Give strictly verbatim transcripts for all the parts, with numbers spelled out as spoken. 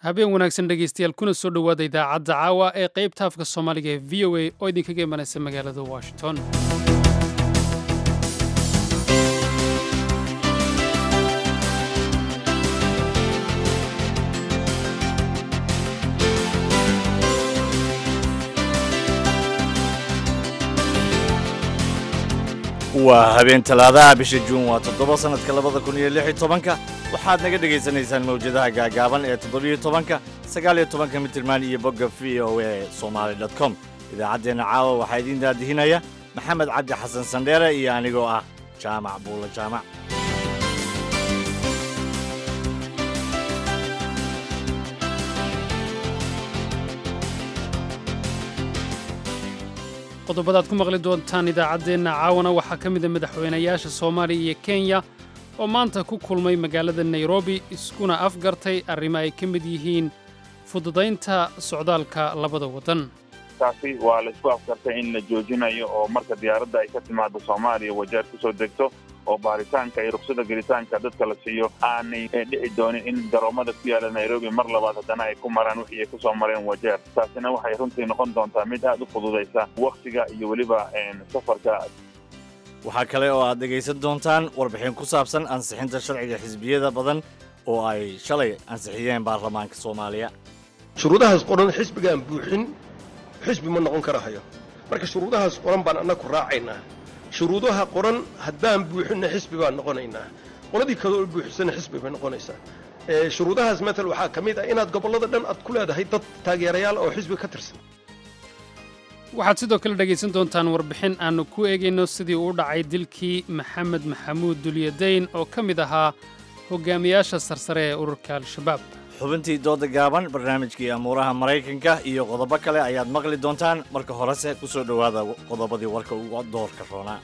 Habeen wanaagsan, dhegaystayaal, kuna soo dhowaada idaacadda caawa ee qaybta afka Soomaaliga ee V O A oo idinkaga imanaysa magaalada Washington. Waa habeen Talaadaha, bisha Juun waa toddoba, sanadka labada kun iyo lix iyo tobanka. Waxaad naga dhegaysanaysaan mawjadaha gaagaaban ee toddobiyo tobanka, sagaal iyo tobanka mitirmaan iyo bogga V O A Somali dot com. Idaacaddeenna caawa waxaa idiin daadihinaya Maxamed Cabdi Xasan Sandheere iyo anigoo ah Jaamac Buulo Jaamac. Qodobadaad ku maqli doontaan idaacaddeenna caawana waxaa ka mida madaxweynayaasha Soomaaliya iyo Kenya oo maanta ku kulmay magaalada Nairobi, iskuna afgartay arrimo ay ka mid yihiin fududaynta socdaalka labada waddan. Taasi waa la isku afgartay in la joojinayo oo marka diyaaradda ay ka timaado Soomaaliya, Wajeer kusoo degto oo baaritaanka iyo ruksada gelitaanka dadka la siiyo, aanay dhici doonin in garoomada ku yaala Nairobi mar labaad haddana ay ku maraan wixii ay kusoo mareen Wajeer. Taasina waxay runtii noqon doontaa mid aad u fududaysa wakhtiga iyo weliba safarka. Waxaa kale oo aad dhegaysan doontaan warbixin ku saabsan ansixinta sharciga xisbiyada badan oo ay shalay ansixiyeen baarlamaanka Soomaaliya. Shuruudahaas qoran xisbigaan buuxin xisbi ma noqon karahayo. Marka shuruudahaas qoran baan annaku raacaynaa. Shuruudaha qoran haddaan buuxinna, xisbi baan noqonaynaa. Qoladii kaloo buuxisana xisbi bay noqonaysaa. Shuruudahaas matal waxaa ka mid ah inaad gobollada dhan aad ku leedahay dad taageerayaal oo xisbi ka tirsan. Waxaad sidoo kale dhegaysan doontaan warbixin aannu ku eegayno sidii uu dhacay dilkii Maxamed Maxamuud Dulyadayn oo ka mid ahaa hogaamiyaasha sarsare ee ururka Al-Shabaab. Xubintii dooda gaaban, barnaamijkii amuuraha Maraykanka iyo qodobo kale ayaad maqli doontaan. Marka horese ku soo dhowaada qodobadii warka ugu doorka roonaa.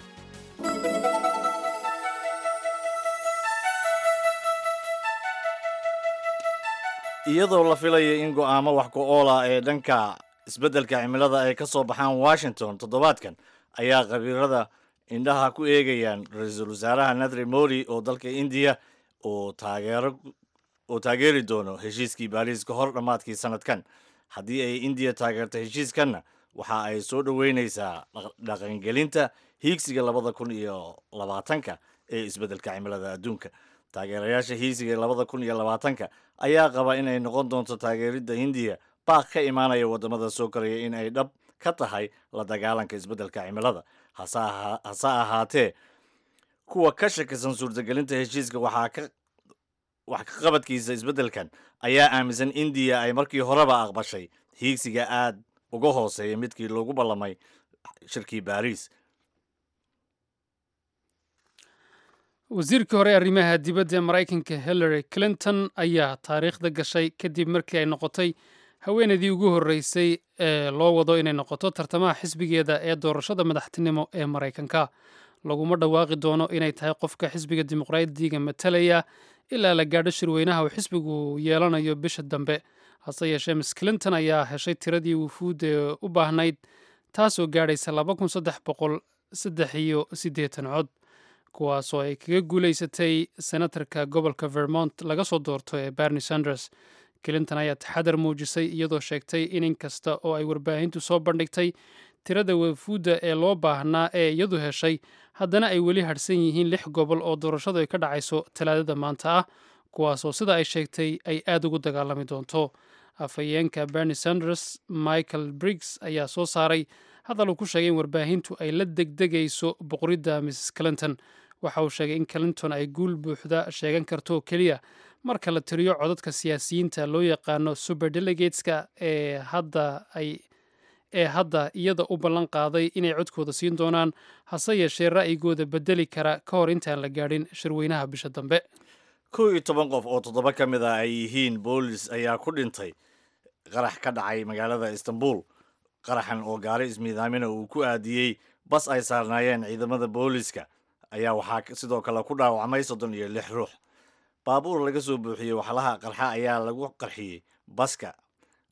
Iyadoo la filayo in go'aamo wax ku oola ee dhanka isbeddelka cimilada ay ka soo baxaan Washington toddobaadkan, ayaa khabiirada indhaha ku eegayaan ra-iisul wasaaraha Narendra Modi oo dalka Indiya oo taageero oo taageeri doono heshiiskii Baariis ka hor dhammaadkii sanadkan. Haddii ay Indiya taageerto heshiiskanna, waxa ay soo dhoweyneysaa dhaqangelinta hiigsiga labada kun iyo labaatanka ee isbeddelka cimilada adduunka. Taageerayaasha hiigsiga labada kun iyo labaatanka ayaa qaba in ay noqon doonto taageeridda Hindiya baaq ka imaanaya waddamada soo koraya in ay dhab ka tahay la dagaalanka isbeddelka cimilada. Hase ahaatee, kuwa ka shakisan suurtagelinta heshiiska waxaa ka wax ka qabadkiisa isbeddelkan ayaa aaminsan Indiya ay markii horeba aqbashay hiigsiga aad uga hooseeya midkii loogu ballamay shirkii Baariis. Wasiirkii hore arrimaha dibadda ee Maraykanka Hillary Clinton ayaa taariikhda gashay kadib markii ay noqotay haweeneydii ugu horreysay ee loo wado inay noqoto tartamaha xisbigeeda ee doorashada madaxtinimo ee Maraykanka. Laguma dhawaaqi doono inay tahay qofka xisbiga Dimuqraadiga matalaya ilaa la gaadho shirweynaha uu xisbigu yeelanayo bisha dambe. Hase yeeshee, Miss Clinton ayaa heshay tiradii wufuud ee u baahnayd, taasoo gaadhaysa laba kun saddex boqol saddex iyo siddeetan cod, kuwaasoo ay kaga guulaysatay senatarka gobolka Vermont laga soo doorto ee Bernie Sanders. Clinton ayaa taxadar muujisay, iyadoo sheegtay in inkasta oo ay warbaahintu soo bandhigtay tirada wafuudda ee loo baahnaa ee iyadu heshay, haddana ay weli hadhsan yihiin lix gobol oo doorashadu ay ka dhacayso Talaadada maanta ah, kuwaasoo sida ay sheegtay ay aad ugu dagaalami doonto. Afhayeenka Bernie Sanders, Michael Briggs, ayaa soo saaray hadal uu ku sheegay in warbaahintu ay la degdegayso boqoridda Missus Clinton. Waxa uu sheegay in Clinton ay guul buuxda sheegan karto oo keliya marka la tiriyo codadka siyaasiyiinta loo yaqaano superdelegateska ee hadda ay ee hadda iyada u ballan qaaday inay codkooda siin doonaan, hase yeeshee ra'yigooda bedeli kara ka hor intaan la gaadhin shirweynaha bisha dambe. Kow iyo toban qof oo toddoba ka mid ah ay yihiin boolis ayaa ku dhintay qarax ka dhacay magaalada Istanbul. Qaraxan oo gaari ismiidaamina uu ku aadiyey bas ay saarnaayeen ciidamada booliska ayaa waxaa sidoo kale ku dhaawacmay soddon iyo lix ruux. Baabuur laga soo buuxiyey waxlaha qarxa ayaa lagu qarxiyey baska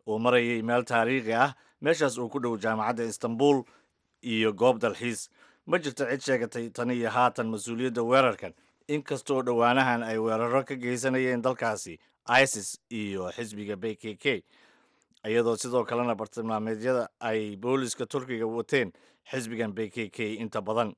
oo marayay meel taariikhi ah, meeshaas uu ku dhow jaamacadda Istanbul iyo goob dalxiis. Ma jirto cid sheegatay tan iyo haatan mas-uuliyadda weerarkan, inkastoo dhowaanahan ay weeraro ka geysanayeen dalkaasi ISIS iyo xisbiga B K K, iyadoo sidoo kalena bartilmaameedyada ay booliska Turkiga wateen xisbigan B K K inta badan.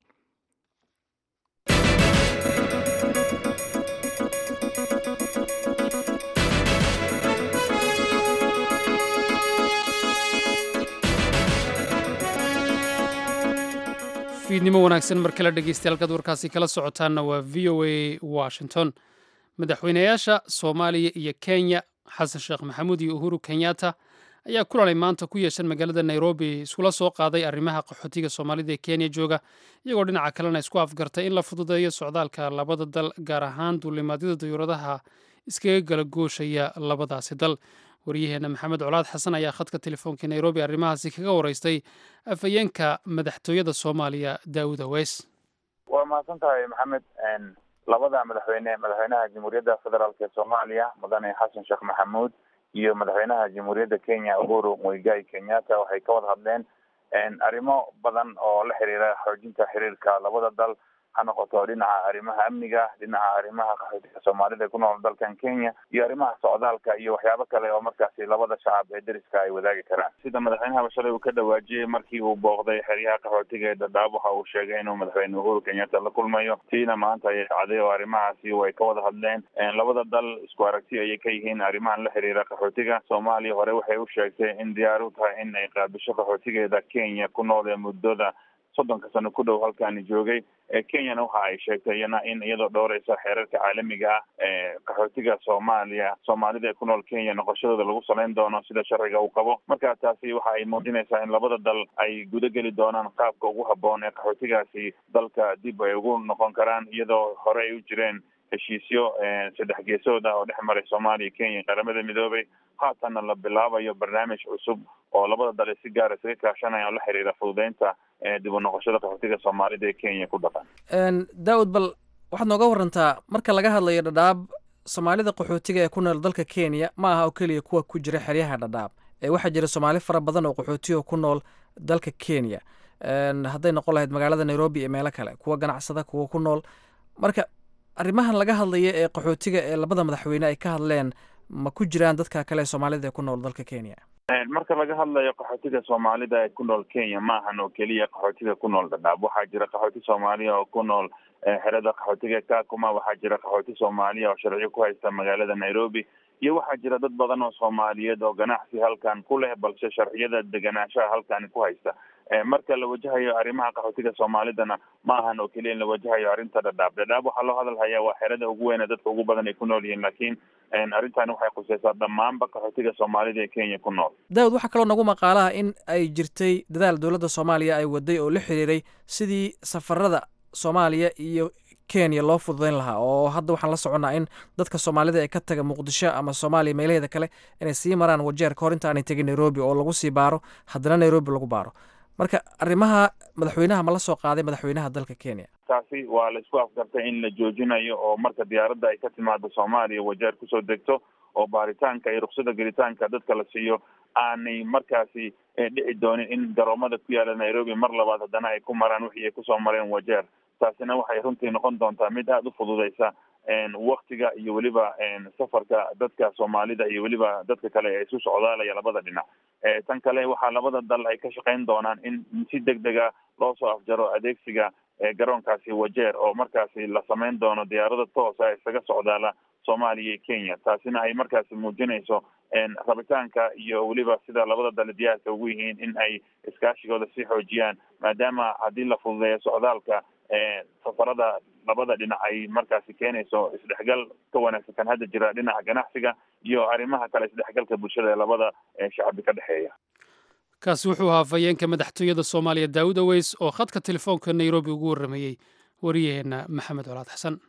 Fiidnimo wanaagsan mar kale dhegeystayaal, halkaad warkaasi kala socotaanna waa V O A Washington. Madaxweynayaasha Soomaaliya iyo Kenya, Xasan Sheekh Maxamuud iyo Uhuru Kenyatta, ayaa kulanay maanta ku yeeshan magaalada Nairobi iskula soo qaaday arrimaha qaxootiga Soomaalida ee Kenya jooga, iyagoo dhinaca kalena isku afgartay in la fududeeyo socdaalka labada dal, gaar ahaan duulimaadyada dayuuradaha iskaga gala gooshaya labadaasi dal. Waryaheena Maxamed Colaad Xasan ayaa khadka telefoonka Nairobi arrimahaasi kaga waraystay afhayeenka madaxtooyada Soomaaliya, Daawud Aweys. Waa mahadsan tahay, Maxamed. Labada madaxweyne, madaxweynaha Jamhuuriyadda Federaalk ee Soomaaliya Mudane Xasan Sheekh Maxamuud iyo madaxweynaha Jamhuuriyadda Kenya Uhuru Muigai Kenyatta, waxay ka wada hadleen arrimo badan oo la xiriira xoojinta xiriirka labada dal, ha noqoto dhinaca arrimaha amniga, dhinaca arrimaha qaxootiga Soomaalida ku nool dalkan Kenya iyo arrimaha socdaalka iyo waxyaabo kale oo markaasi labada shacab ee deriska ay wadaagi karaan. Sida madaxweynaha shalay uu ka dhawaajiyey markii uu booqday xeryaha qaxootiga ee Dadaab, waxa uu sheegay inuu madaxweyne Uhuru Kenyatta la kulmayo. Tiina maanta ayay dhacday oo arrimahaasi way ka wada hadleen. Labada dal isku aragti ayay ka yihiin arrimahan la xiriira qaxootiga. Soomaaliya hore waxay u sheegtay in diyaar u tahay in ay qaabisho qaxootigeeda Kenya ku nool ee muddada soddonka sano ku dhow halkaani joogay. Kenyana waxa ay sheegtay iyana in iyadoo dhowreysa xeerarka caalamiga ah ee qaxootiga Soomaaliya, Soomaalida ee ku nool Kenya noqoshadooda lagu saleyn doono sida sharciga uu qabo. Marka taasi waxa ay muujinaysaa in labada dal ay guda geli doonaan qaabka ugu habboon ee qaxootigaasi dalka dib ay ugu noqon karaan, iyadoo hore ay u jireen heshiisyo saddex geesood ah oo dhex maray Soomaaliya, Kenya, Qaramada Midoobay. Haatanna la bilaabayo barnaamij cusub oo labada dal si gaar isaga kaashanaya oo la xiriira fududeynta dib u noqoshada qaxootiga Soomaalida ee Kenya ku dhaqan. Daawud, bal waxaad nooga warantaa, marka laga hadlayo Dhadhaab, Soomaalida qaxootiga ee ku nool dalka Kenya ma aha oo keliya kuwa ku jira xeryaha Dhadhaab, ee waxaa jira Soomaali fara badan oo qaxootiga ku nool dalka Kenya, hadday noqon lahayd magaalada Nairobi iyo meelo kale, kuwa ganacsada, kuwa ku nool. Marka arrimahan laga hadlaya ee qaxootiga ee labada madaxweyne ay ka hadleen, ma ku jiraan dadka kale ee Soomaalida ee ku nool dalka Kenya? Marka laga hadlayo qaxootiga Soomaalida ee ku nool Kenya, ma ahan oo keliya qaxootiga ku nool Dhadhaab. Waxaa jira qaxooti Soomaaliya oo ku nool xerada qaxootiga Kakuma, waxaa jira qaxooti Soomaaliya oo sharciyo ku haysta magaalada Nairobi, iyo waxaa jira dad badan oo Soomaaliyeed oo ganacsi halkan ku leh balse sharciyada deganaanshaha halkani ku haysta. Marka la wajahayo arrimaha qaxootiga Soomaalidana, ma ahan oo keliya in la wajahayo arrinta Dhadhaab. Dhadhaab waxaa loo hadal hayaa waa xerada ugu weyn ee dadka ugu badan ay ku nool yihiin, laakiin arrintani waxay khuseysaa dhammaanba qaxootiga Soomaalida ee Kenya ku nool. Daawud, waxaa kaloo nagu maqaalaha in ay jirtay dadaal dowladda Soomaaliya ay waday oo la xiriiray sidii safarada Soomaaliya iyo Kenya loo fududeyn lahaa, oo hadda waxaan la soconnaa in dadka Soomaalida ee ka taga Muqdisho ama Soomaaliya meelaheeda kale inay sii maraan Wajeer kahor inta aanay tegin Nairobi, oo lagu sii baaro, haddana Nairobi lagu baaro. Marka arrimaha madaxweynaha ma la soo qaaday madaxweynaha dalka Kenya? Taasi waa la isku afgartay in la joojinayo oo marka diyaaradda ay ka timaado Soomaaliya Wajeer kusoo degto oo baaritaanka iyo ruksada gelitaanka dadka la siiyo, aanay markaasi dhici doonin in garoomada ku yaala Nairobi mar labaad haddana ay ku maraan wixii ay kusoo mareen Wajeer. Taasina waxay runtii noqon doontaa mid aada u fududeysa waktiga iyo weliba safarka dadka Soomaalida iyo weliba dadka kale ee isu socdaalaya labada dhinac. Tan kale, waxaa labada dal ay ka shaqeyn doonaan in si deg dega loo soo afjaro adeegsiga garoonkaasi Wajeer, oo markaasi la sameyn doono diyaarada toosa isaga socdaala Soomaaliya iyo Kenya. Taasina ay markaasi muujinayso rabitaanka iyo weliba sida labada dal diyaarka ugu yihiin in ay iskaashigooda sii xoojiyaan, maadaama haddii la fududeeyo socdaalka safarada labada dhinac ay markaasi keenayso isdhexgal ka wanaagsan kan hadda jira dhinaca ganacsiga iyo arrimaha kale, isdhexgalka bulshada ee labada shacbi ka dhexeeya. Kaasi wuxuu ahaa afhayeenka madaxtooyada Soomaaliya, Daawud Aweys, oo khadka telefoonka Nairobi ugu warramayey wariyaheenna Maxamed Colaad Xasan.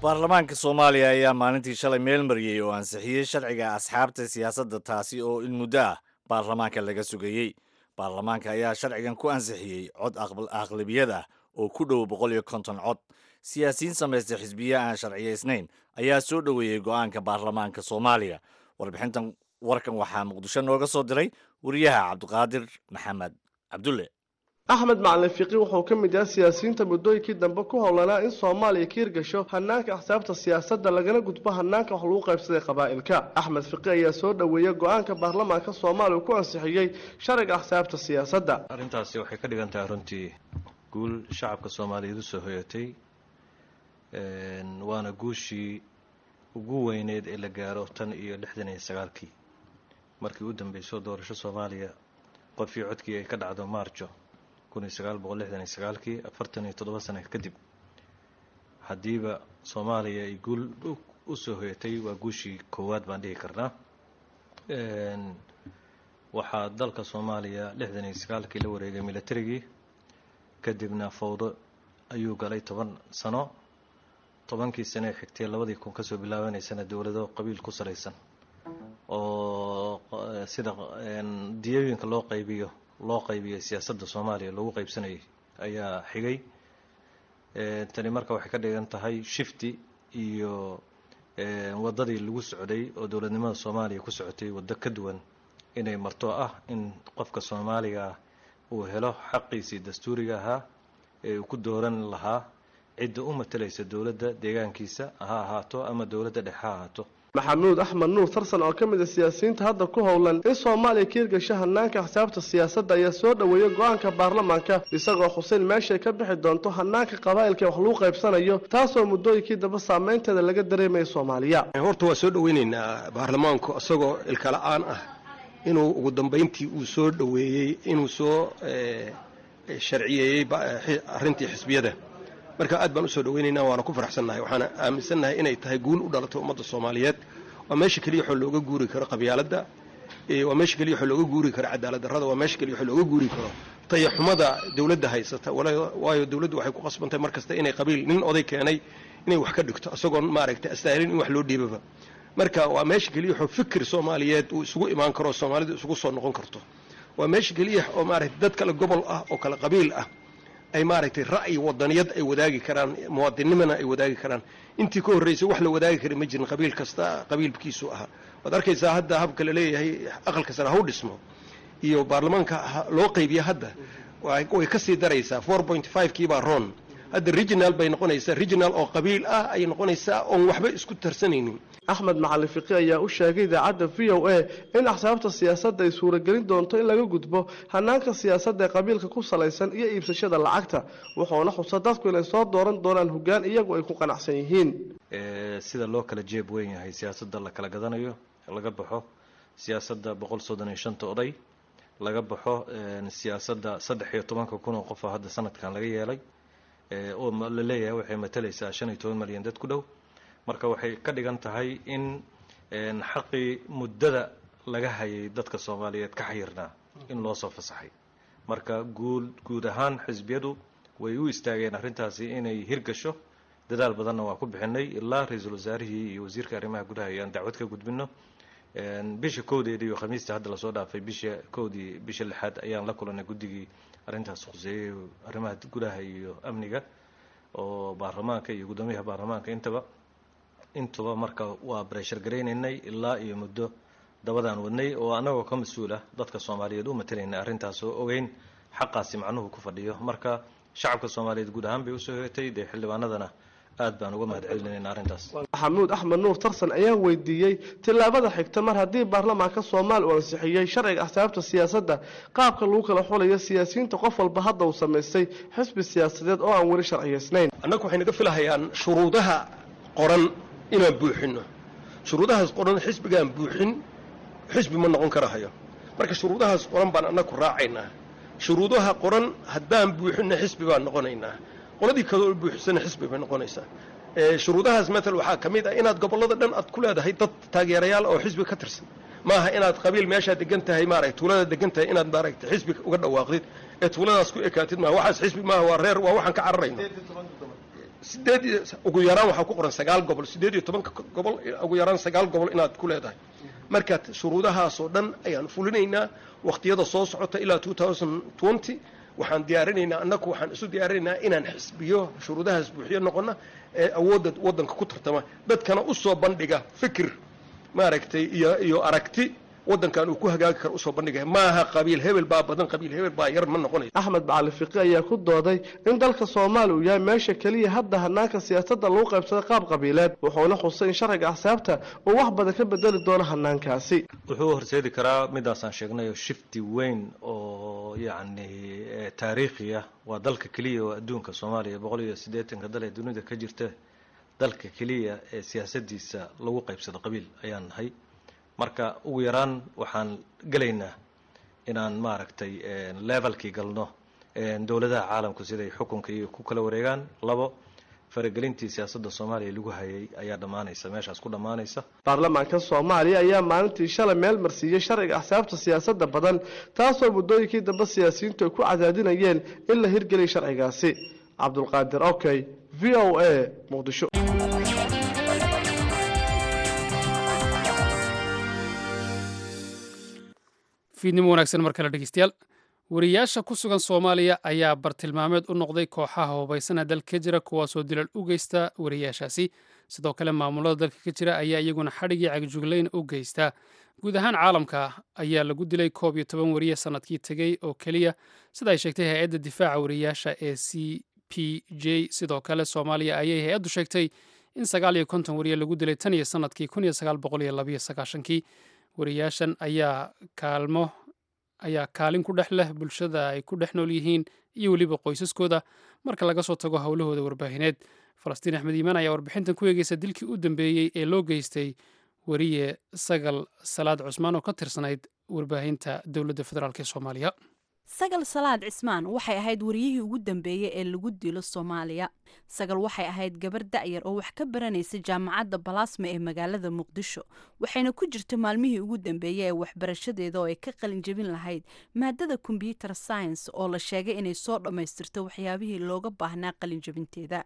Baarlamaanka Soomaaliya ayaa maalintii shalay meel mariyey oo ansixiyey sharciga asxaabta siyaasadda, taasi oo in muddo ah baarlamaanka laga sugayey. Baarlamaanka ayaa sharcigan ku ansixiyey cod aqlabiyad ah oo ku dhow boqol iyo konton cod. Siyaasiyiin samaystay xisbiye aan sharciyaysnayn ayaa soo dhoweeyey go'aanka baarlamaanka Soomaaliya. Warbixintan warkan waxaa Muqdisho nooga soo diray wariyaha Cabdiqaadir Maxamed Cabdulle. Axmed Macalin Fiqi wuxuu ka mid yahay siyaasiyiinta muddooyinkii dambe ku howlanaa in Soomaaliya ka hirgasho hanaanka axsaabta siyaasadda, lagana gudbo hanaanka wax lagu qaybsaday qabaa'ilka. Axmed Fiqi ayaa soo dhoweeyey go-aanka baarlamaanka Soomaaliya ku ansixiyey sharciga axsaabta siyaasadda. Arrintaasi waxay ka dhigan tahay runtii guul shacabka Soomaaliyeed u soo hoyatay, waana guushii ugu weyneyd ee la gaaro tan iyo lixdan iyo sagaalkii markii u dambeysay doorasho Soomaaliya qofkii codkii ay ka dhacdo Maarjo kun iyo sagaal boqol lixdan iyo sagaalkii, afartan iyo toddoba sano kadib. Haddiiba Soomaaliya ay guul u soo hoyatay, waa guushii koowaad baan dhihi karnaa. Waxaa dalka Soomaaliya lixdan iyo sagaalkii la wareegay militarigii, kadibna fowdo ayuu galay toban sano. Tobankii sano ee xigtay, labadii kun kasoo bilaabanaysana, dowlado qabiil ku salaysan oo sida diyooyinka loo qaybiyo loo qaybiyay siyaasadda Soomaaliya loogu qaybsanayay ayaa xigay. Tani marka waxay ka dhigan tahay shift-i iyo waddadii lagu socday oo dowladnimada Soomaaliya ku socotay waddo ka duwan inay marto, ah in qofka Soomaaliga ah uu helo xaqiisii dastuuriga ahaa ee uu ku dooran lahaa cidda u matalaysa dowladda deegaankiisa ha ahaato ama dowladda dhexe ha ahaato. Maxamuud Axmed Nuur Tarsan oo ka mid a siyaasiyiinta hadda ku howlan in Soomaaliya ka hirgasho hanaanka axsaabta siyaasadda ayaa soo dhoweeyey go-aanka baarlamaanka, isagoo xuseyn meeshay ka bixi doonto hanaanka qabaa'ilka wax lagu qaybsanayo, taasoo muddooyinkii dambe saameynteeda laga dareemaya Soomaaliya. Horta waa soo dhoweynaynaa baarlamaanku isagoo ilkala-aan ah inuu ugu dambayntii uu soo dhoweeyey, inuu soo sharciyeeyey arrintii xisbiyada. Marka aad baan usoo dhaweynaynaa, waana ku faraxsannahay, waxaana aaminsannahay inay tahay guul u dhalatay ummadda Soomaaliyeed. Waa meesha keliya waxoo looga guuri karo qabyaaladda, waa meesha keliya waxoo looga guuri karo cadaalad darrada, waa meesha keliya waxoo looga guuri karo tayaxumada dowladda haysata. Waayo, dowladdu waxay ku qasbantahay mar kasta inay qabiil nin oday keenay inay wax ka dhigto, isagoon maaragtay astaahilin in wax loo dhiibaba. Marka waa meesha keliya waxoo fikir Soomaaliyeed uu isugu imaan karo, Soomaalidu isugu soo noqon karto. Waa meesha keliya oo maaragtay dad kale gobol ah oo kale qabiil ah ay maaragtay ra'yi wadaniyad ay wadaagi karaan, muwaadinnimana ay wadaagi karaan. Intii ka horreysay wax la wadaagi kara ma jirin, qabiil kasta qabiilkiisu ahaa. Waad arkaysaa hadda habka la leeyahay aqalka sare haw dhismo iyo baarlamaanka loo qaybiya, hadda way ka sii daraysaa. Four point five kii baa roon, hadda regional bay noqonaysaa, regional oo qabiil ah ayay noqonaysaa oon waxba isku tarsanaynin. Axmed Macalin Fiqi ayaa u sheegay idaacadda V O A in axsaabta siyaasadda ay suuragelin doonto in laga gudbo hanaanka siyaasadda ee qabiilka ku salaysan iyo iibsashada lacagta, wuxuuna xusa dadku inay soo dooran doonaan hoggaan iyagu ay ku qanacsan yihiin. Sida loo kala jeeb weyn yahay, siyaasadda la kala gadanayo laga baxo, siyaasadda boqol soddon iyo shanta oday laga baxo, siyaasadda saddex iyo tobanka kun oo qof oo hadda sanadkan laga yeelay oo la leeyahay waxay matalaysaa shan iyo toban malyan dad ku dhow. Marka waxay ka dhigan tahay in xaqii muddada laga hayay dadka Soomaaliyeed ka xayirnaa in loo soo fasaxay. Marka guud guud ahaan xisbiyadu way u istaageen arrintaasi inay hirgasho, dadaal badanna waa ku bixinay ilaa ra-iisul wasaarihii iyo wasiirka arrimaha gudaha ayaan dacwad ka gudbino. Bisha kowdeedii iyo Khamiista hadda lasoo dhaafay, bisha kowdii bisha lixaad, ayaan la kulanay guddigii arrintaas khuseeyey, arrimaha gudaha iyo amniga oo baarlamaanka iyo guddoomiyaha baarlamaanka intaba intuba. Marka waa pressure garaynaynay ilaa iyo muddo dabadaan wadnay oo annagoo ka mas-uul ah dadka Soomaaliyeed u matalaynay arrintaas oo ogeyn xaqaasi macnuhu ku fadhiyo. Marka shacabka Soomaaliyeed guud ahaan bay usoo hoyatay, dee xildhibaanadana aad baan uga mahad celinayna arrintaas. Maxamuud Axmed Nuur Tarsan ayaa weydiiyey tillaabada xigta mar haddii baarlamaanka Soomaaliya uu ansixiyey sharciga axsaabta siyaasadda, qaabka lagu kala xulayo siyaasiyiinta qof walba hadda uu samaystay xisbi siyaasadeed oo aan weli sharciyeysnayn. Annagu waxay naga filahayaan shuruudaha qoran inaan buuxinno. Shuruudahaas qoran xisbigaan buuxin xisbi ma noqon karahayo. Marka shuruudahaas qoran baan annagu raacaynaa. Shuruudaha qoran haddaan buuxinno xisbi baan noqonaynaa, qoladii kaloo buuxisana xisbi bay noqonaysaa. Shuruudahaas matal waxaa ka mid ah inaad gobollada dhan aad ku leedahay dad taageerayaal oo xisbi ka tirsan. Maaha inaad qabiil meeshaa degan tahay, maaragtay, tuulada degan tahay inaad maaragtay xisbi uga dhawaaqdid ee tuuladaas ku ekaatid. Maaha waxaas xisbi maaha, waa reer, waa waxaan ka cararayno. Sideed ugu yaraan waxaa ku qoran sagaal gobol, sideed iyo tobanka gobol ugu yaraan sagaal gobol inaad ku leedahay. Marka shuruudahaasoo dhan ayaan fulinaynaa waqtiyada soo socota ilaa two thousand twenty. Waxaan diyaarinaynaa, annagu waxaan isu diyaarinaynaa inaan xisbiyo shuruudahaas buuxiyo noqona ee awoodda waddanka ku tartama, dadkana u soo bandhiga fikir maaragtay iyo iyo aragti waddankan uu ku hagaagi karo usoo bandhigaya. Maaha qabiil hebel baa badan, qabiil hebel baa yar, ma noqonayo. Axmed Macalin Fiqi ayaa ku dooday in dalka Soomaaliya uu yahay meesha keliya hadda hanaanka siyaasadda lagu qaybsada qaab qabiileed, wuxuuna xusay in sharciga axsaabta uu wax badan ka bedeli doono hanaankaasi. Wuxuu horseedi karaa midaasaan sheegnayo shifti weyn oo yacni taariikhi ah. Waa dalka keliya oo adduunka, Soomaaliya boqol iyo siddeetanka dal ee dunida ka jirta, dalka keliya ee siyaasadiisa lagu qaybsado qabiil ayaan nahay. Marka ugu yaraan waxaan gelaynaa inaan maaragtay levelkii galno dowladaha caalamku siday xukunka iyo ku kala wareegaan. Labo, faragelintii siyaasadda Soomaaliya lagu hayay ayaa dhammaanaysa, meeshaas ku dhammaanaysa. Baarlamaanka Soomaaliya ayaa maalintii shalay meel marsiiyey sharciga axsaabta siyaasadda badan, taasoo muddooyinkii dambe siyaasiyiintu ay ku cadaadinayeen in la hirgeliya sharcigaasi. Cabdulqaadir Okey, V O A, Muqdisho. Fiidnimo wanaagsan mar kale, dhegeystayaal. Wariyaasha ku sugan Soomaaliya ayaa bartilmaameed u noqday kooxaha hubaysana dalka ka jira, kuwaasoo dilal u geysta wariyaashaasi. Sidoo kale maamulada dalka ka jira ayaa iyaguna xadhigii cagjuglayn u geysta. Guud ahaan caalamka ayaa lagu dilay koob iyo toban wariye sanadkii tegey oo keliya, sida ay sheegtay hay-adda difaaca wariyaasha ee C P J. Sidoo kale Soomaaliya ayay hay-addu sheegtay in sagaal iyo konton wariye lagu dilay tan iyo sanadkii kun iyo sagaal boqol iyo labayo sagaashankii. Wariyaashan ayaa kaalmo ayaa kaalin ku dhex leh bulshada ay ku dhex nool yihiin iyo weliba qoysaskooda, marka laga soo tago howlahooda warbaahineed. Falastiin Axmed Iimaan ayaa warbixintan ku eegeysa dilkii u dambeeyey ee loo geystay wariye Sagal Salaad Cusmaan oo ka tirsanayd warbaahinta dowladda federaalk ee Soomaaliya. Sagal Salaad Cismaan waxay ahayd wariyihii ugu dambeeyey ee lagu dilo Soomaaliya. Sagal waxay ahayd gabar da'yar oo wax ka baranaysa jaamacadda Balaasma ee magaalada Muqdisho, waxayna ku jirta maalmihii ugu dambeeyey ee waxbarashadeeda oo ay ka qalin jebin lahayd maadada computer science, oo la sheegay inay soo dhammaystirto waxyaabihii looga baahnaa qalin jebinteeda.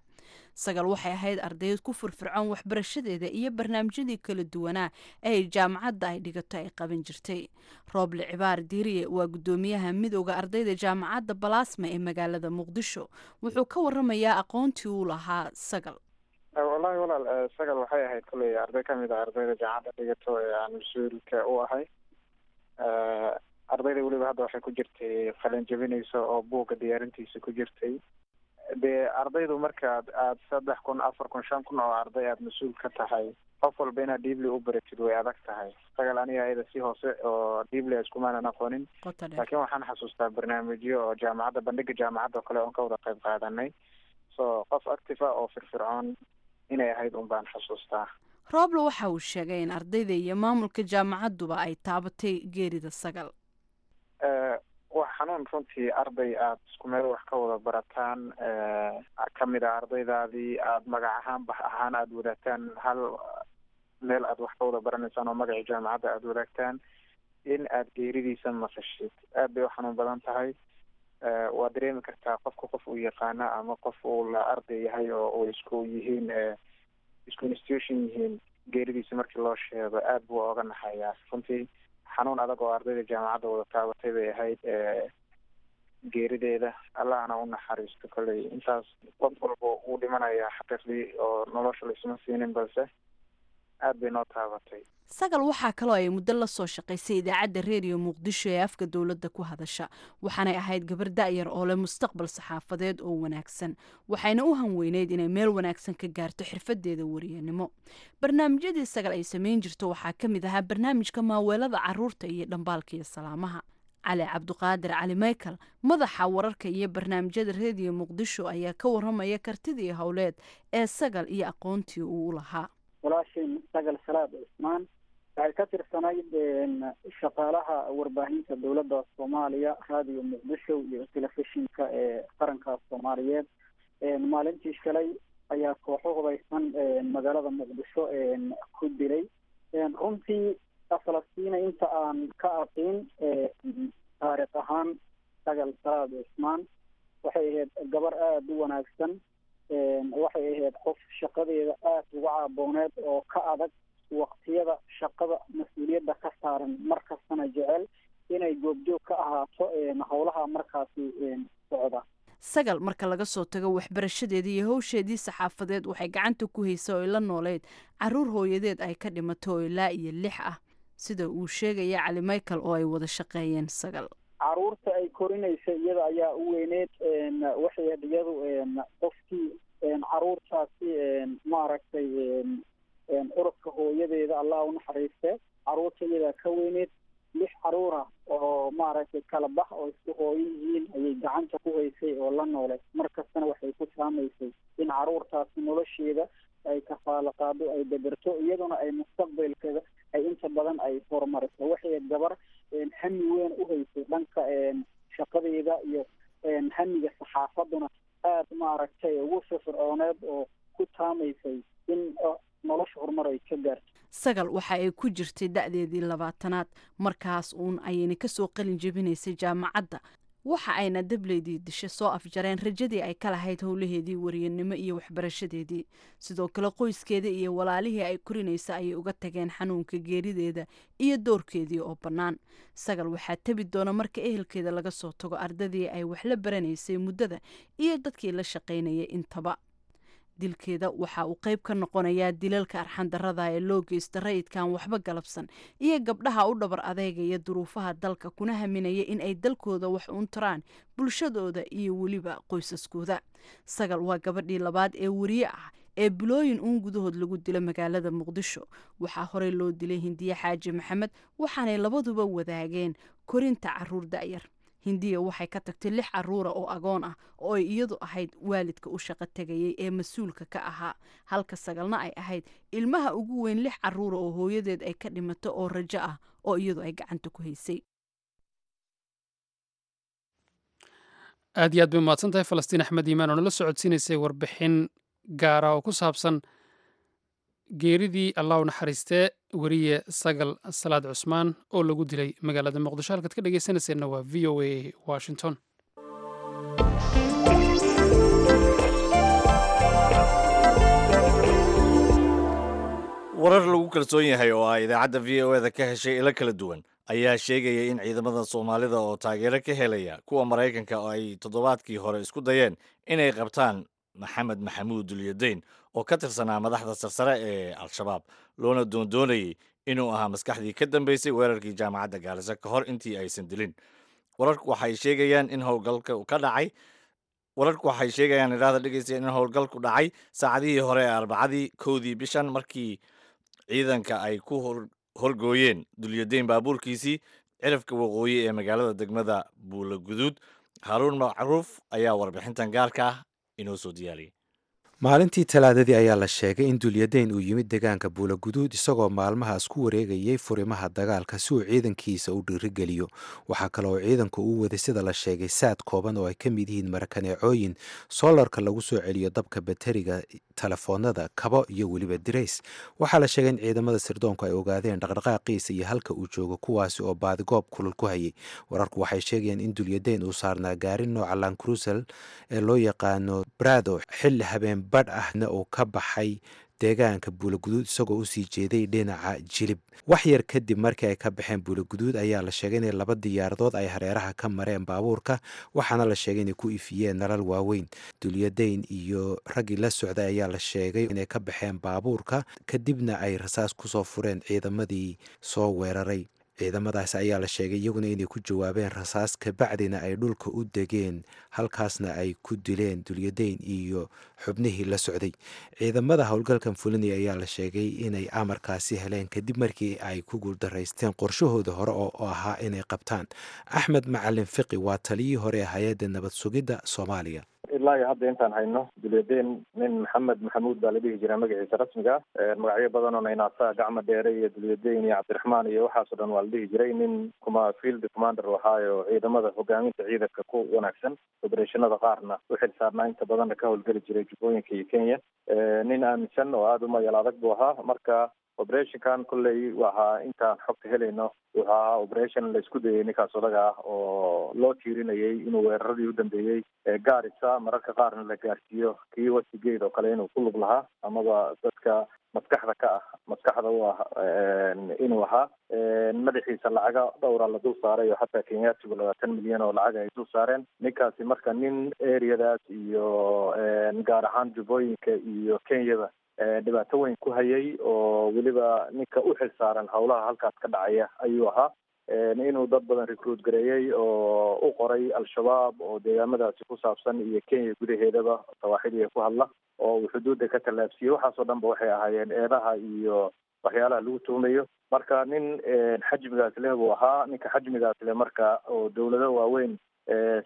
Sagal waxay ahayd ardayd ku firfircoon waxbarashadeeda iyo barnaamijyadii kala duwanaa ee ay jaamacadda ay dhigato ay qaban jirtay. Rooble Cibaar Diiriye waa guddoomiyaha midowda ardayda jaamacadda Balaasma ee magaalada Muqdisho. Wuxuu ka waramayaa aqoontii uu lahaa Sagal. Wallaahi walaal, Sagal waxay ahayd koley arday kamid a ardayda jaamacadda dhigato ee aan mas-uulka u ahay. Ardayda weliba hadda waxay ku jirtay qalin jebinaysa oo buugga diyaarintiisa ku jirtay. Dee ardaydu markaad aad saddex kun, afar kun, shan kun oo arday aada mas-uul ka tahay, qof walba inaad deeply u baratid way adag tahay. Sagal aniga ayada si hoose oo deeply iskumaanan aqoonin, laakiin waxaan xasuustaa barnaamijyo oo jaamacadda, bandhiga jaamacadda oo kale oon ka wada qayb qaadanay. So qof active ah oo firfircoon inay ahayd un baan xasuustaa. Rooble waxa uu sheegay in ardayda iyo maamulka jaamacadduba ay taabatay geerida Sagal. Waa xanuun runtii arday aada isku meel wax ka wada barataan, kamid a ardaydaadii aada magac ahaan, bax ahaan aada wadaagtaan, hal meel aada wax ka wada baranaysaan oo magacii jaamacadda aada wadaagtaan, in aada geeridiisa maqashid aad bay u xanuun badan tahay. Waa dareemi kartaa qofka qof uu yaqaana ama qof uu la arday yahay oo uu isku yihiin, isku institution yihiin, geeridiisa markii loo sheego aada buu oga naxayaa. Runtii xanuun adag oo ardayda jaamacadda wada taabatay bay ahayd geerideeda. Allahna u naxariisto. Kolley intaas qof walba wuu dhimanayaa xaqiiqdii oo nolosha laisma siinin, balse aad bay noo taabatay. Sagal waxaa kaloo ay muddo la soo shaqaysay idaacadda Reediyo Muqdisho ee afka dowladda ku hadasha. Waxaanay ahayd gabar da'yar oo leh mustaqbal saxaafadeed oo wanaagsan, waxayna u hanweyneyd inay meel wanaagsan ka gaarto xirfadeeda wariyanimo. Barnaamijyadii Sagal ay samayn jirto waxaa ka mid ahaa barnaamijka maaweelada caruurta iyo dhambaalka iyo salaamaha. Cali Cabduqaadir Cali Michael, madaxa wararka iyo barnaamijyada Reediyo Muqdisho, ayaa ka waramaya kartidii howleed ee Sagal iyo aqoontii uu u lahaa. Walaashay Sagal Salaad Cismaan waxay ka tirsanayd shaqaalaha warbaahinta dowladda Soomaaliya, Raadiyo Muqdisho iyo telefishinka ee qaranka Soomaaliyeed. Maalintii shalay ayaa kooxo hubaysan magaalada Muqdisho ku dilay. Runtii Falastiina, inta aan ka aqiin taariikh ahaan, Sagal Salaad Cismaan waxay ahayd gabar aada u wanaagsan. Waxay ahayd qof shaqadeeda aada uga caabooneed oo ka adag waqtiyada shaqada mas-uuliyadda ka saaran, mar kastana jecel inay goobjoog ka ahaato howlaha markaasi socda. Sagal marka laga soo tago waxbarashadeedii iyo howsheedii saxaafadeed, waxay gacanta ku haysa oo la nooleyd caruur hooyadeed ay ka dhimato oo ilaa iyo lix ah. Sida uu sheegaya Cali Michael oo ay wada shaqeeyeen Sagal. Caruurta ay korinaysa iyada ayaa u weyneed. Waxay ahayd iyadu qofkii caruurtaasi, maaragtay, ururka hooyadeeda, Allah u naxariiste, caruurta iyadaa ka weyneed. Lix caruura oo, maaragtay, kala bax oo isku hooyo yihiin ayay gacanta ku haysay oo la noolay. Mar kastana waxay ku saamaysay in caruurtaasi nolosheeda ay kafaalo qaado, ay deberto, iyaduna ay mustaqbalkeeda ay inta badan ay horumariso. Waxay gabar hami weyn u haysay dhanka shaqadeeda iyo hamiga saxaafaduna aada, maaragtay, ugu firfircooneed oo ku taamaysay in nolosha horumar ay ka gaarto. Sagal waxa ay ku jirtay da'deedii labaatanaad markaas uun ayayna kasoo qalin jebinaysay jaamacadda. Waxa ayna dableydii dishe soo afjareen rajadii ay ka lahayd howlaheedii wariyanimo iyo waxbarashadeedii. Sidoo kale qoyskeeda iyo walaalihii ay korinaysa ayay uga tageen xanuunka geerideeda iyo doorkeedii oo bannaan. Sagal waxaa tabi doona, marka ehelkeeda laga soo tago, ardadii ay wax la baranaysay muddada iyo dadkii la shaqaynayay intaba. Dilkeeda waxa uu qayb ka noqonayaa dilalka arxandarada ee loo geysta rayidkan waxba galabsan iyo gabdhaha u dhabar adeegaya duruufaha dalka, kuna haminaya in ay dalkooda wax uun taraan, bulshadooda iyo weliba qoysaskooda. Sagal waa gabadhii labaad ee wariye ah ee bilooyin uun gudahood lagu dilo magaalada Muqdisho. Waxaa horey loo dilay Hindiye Xaaji Maxamed, waxaanay labaduba wadaageen korinta caruur da'yar. Hindiya waxay ka tagtay lix caruura oo agoon ah oo ay iyadu ahayd waalidka u shaqo tegayay ee mas-uulka ka ahaa, halka Sagalna ay ahayd ilmaha ugu weyn lix caruura oo hooyadeed ay ka dhimato oo rajo ah oo iyadu ay gacanta ku haysay. Aad iyo aad bay umahadsan tahay Falastiin Axmed Iimaan oo nala socodsiinaysay warbixin gaara oo ku saabsan geeridii, Allah u naxariistee, weriye Sagal Salaad Cusmaan oo lagu dilay magaalada Muqdisho. Halkaad ka dhegeysanayseena waa V O A Washington. Warar lagu kalsoon yahay oo ay idaacadda V O E da ka heshay ilo kala duwan ayaa sheegaya in ciidamada Soomaalida oo taageero ka helaya kuwa Maraykanka oo ay toddobaadkii hore isku dayeen inay qabtaan Maxamed Maxamuud Dulyadeyn oo ka tirsanaa madaxda sarsare ee Al-Shabaab, loona doondoonayay inuu ahaa maskaxdii ka dambeysay weerarkii jaamacadda Gaarisa, ka hor intii aysan dilin. Wararku waxay sheegayaan in howlgalka ka dhacay wararku waxay sheegayaan, idhaahda dhegeysta, in howlgalku dhacay saacadihii hore ee Arbacadii kowdii bishan, markii ciidanka ay ku horgooyeen Dulyadeyn baabuurkiisii cirifka waqooyi ee magaalada degmada Buula Guduud. Haaruun Macruuf ayaa warbixintan gaarka ah inoo soo diyaariyay. Maalintii Talaadadii ayaa la sheegay in Dulyadeyn uu yimid deegaanka Buulaguduud, isagoo maalmahaas ku wareegayay furimaha dagaalka si uu ciidankiisa u dhiirigeliyo. Waxaa kale oo ciidanku uu waday, sida la sheegay, saad kooban oo ay ka mid yihiin marakaneecooyin, soolarka lagu soo celiyo dabka bateriga telefoonada, kabo iyo weliba dirays. Waxaa la sheegay in ciidamada sirdoonku ay ogaadeen dhaqdhaqaaqiisa iyo halka uu joogo, kuwaasi oo baadigoob kulul ku hayay. Wararku waxay sheegayeen in Dulyadeyn uu saarnaa gaari nooca Land Cruiser ee loo yaqaano Prado, xilli habeen badh ahna uu ka baxay deegaanka Buulaguduud isagoo usii jeeday dhinaca Jilib. Wax yar kadib markii ay ka baxeen Buulaguduud ayaa la sheegay inay laba diyaaradood ay hareeraha ka mareen baabuurka, waxaana la sheegay inay ku ifiyeen nalal waaweyn. Dulyadeyn iyo raggii la socday ayaa la sheegay inay ka baxeen baabuurka, kadibna ay rasaas kusoo fureen ciidamadii soo weeraray. Ciidamadaas ayaa la sheegay iyaguna inay ku jawaabeen rasaas, kabacdina ay dhulka u degeen, halkaasna ay ku dileen Dulyadeyn iyo xubnihii la socday. Ciidamada howlgalkan fulinaya ayaa la sheegay inay amarkaasi heleen kadib markii ay ku guuldaraysteen qorshahooda hore oo ahaa inay qabtaan. Axmed Macalin Fiqi waa taliyihii hore ee hay-adda nabad sugidda Soomaaliya. Ilaa iyo hadda intaan hayno, Dulyadeyn nin Maxamed Maxamuud baa la dhihi jiraa magaciisa rasmiga ah. Magacyo badan oo naynaasa, Gacma Dheere iyo Dulyadeyn iyo Cabdiraxmaan iyo waxaasoo dhan waa la dhihi jiray. Nin kuma field commander ahaayo, ciidamada hogaaminta ciidanka ku wanaagsan, operationada qaarna u xil saarnaa, inta badanna ka howlgeli jiray Jubbooyinka iyo Kenya. Nin aaminsan oo aada u mayal adag buu ahaa. Marka operationkan kolley waxaa intaan xogta helayno wuxuu ahaa operation la isku dayay ninkaas odaga ah oo loo tiirinayay inuu weeraradii u dambeeyey ee Gaarisa, mararka qaarna la gaarsiiyo kii Westgate oo kale, inuu ku lug lahaa amaba dadka maskaxda ka ah maskaxda u ah inuu ahaa. Madaxiisa lacaga dhowra la dul saaray oo xataa Kenyaatigu labaatan milyan oo lacag ay dul saareen ninkaasi. Marka nin areadaas iyo gaar ahaan Jubbooyinka iyo Kenyada Dhibaato weyn ku hayay oo weliba ninka u xil saaran howlaha halkaas ka dhacaya ayuu ahaa. Inuu dad badan recruit gareeyey oo u qoray Al-Shabaab oo deegaamadaasi ku saabsan iyo Kenya gudaheedaba sawaaxiliga ku hadla oo uu xuduudda ka tallaabsiiyey, waxaasoo dhan ba waxay ahaayeen eedaha iyo waxyaalaha lagu tuhumayo. Marka nin xajmigaas leh buu ahaa. Ninka xajmigaas leh marka oo dowlado waaweyn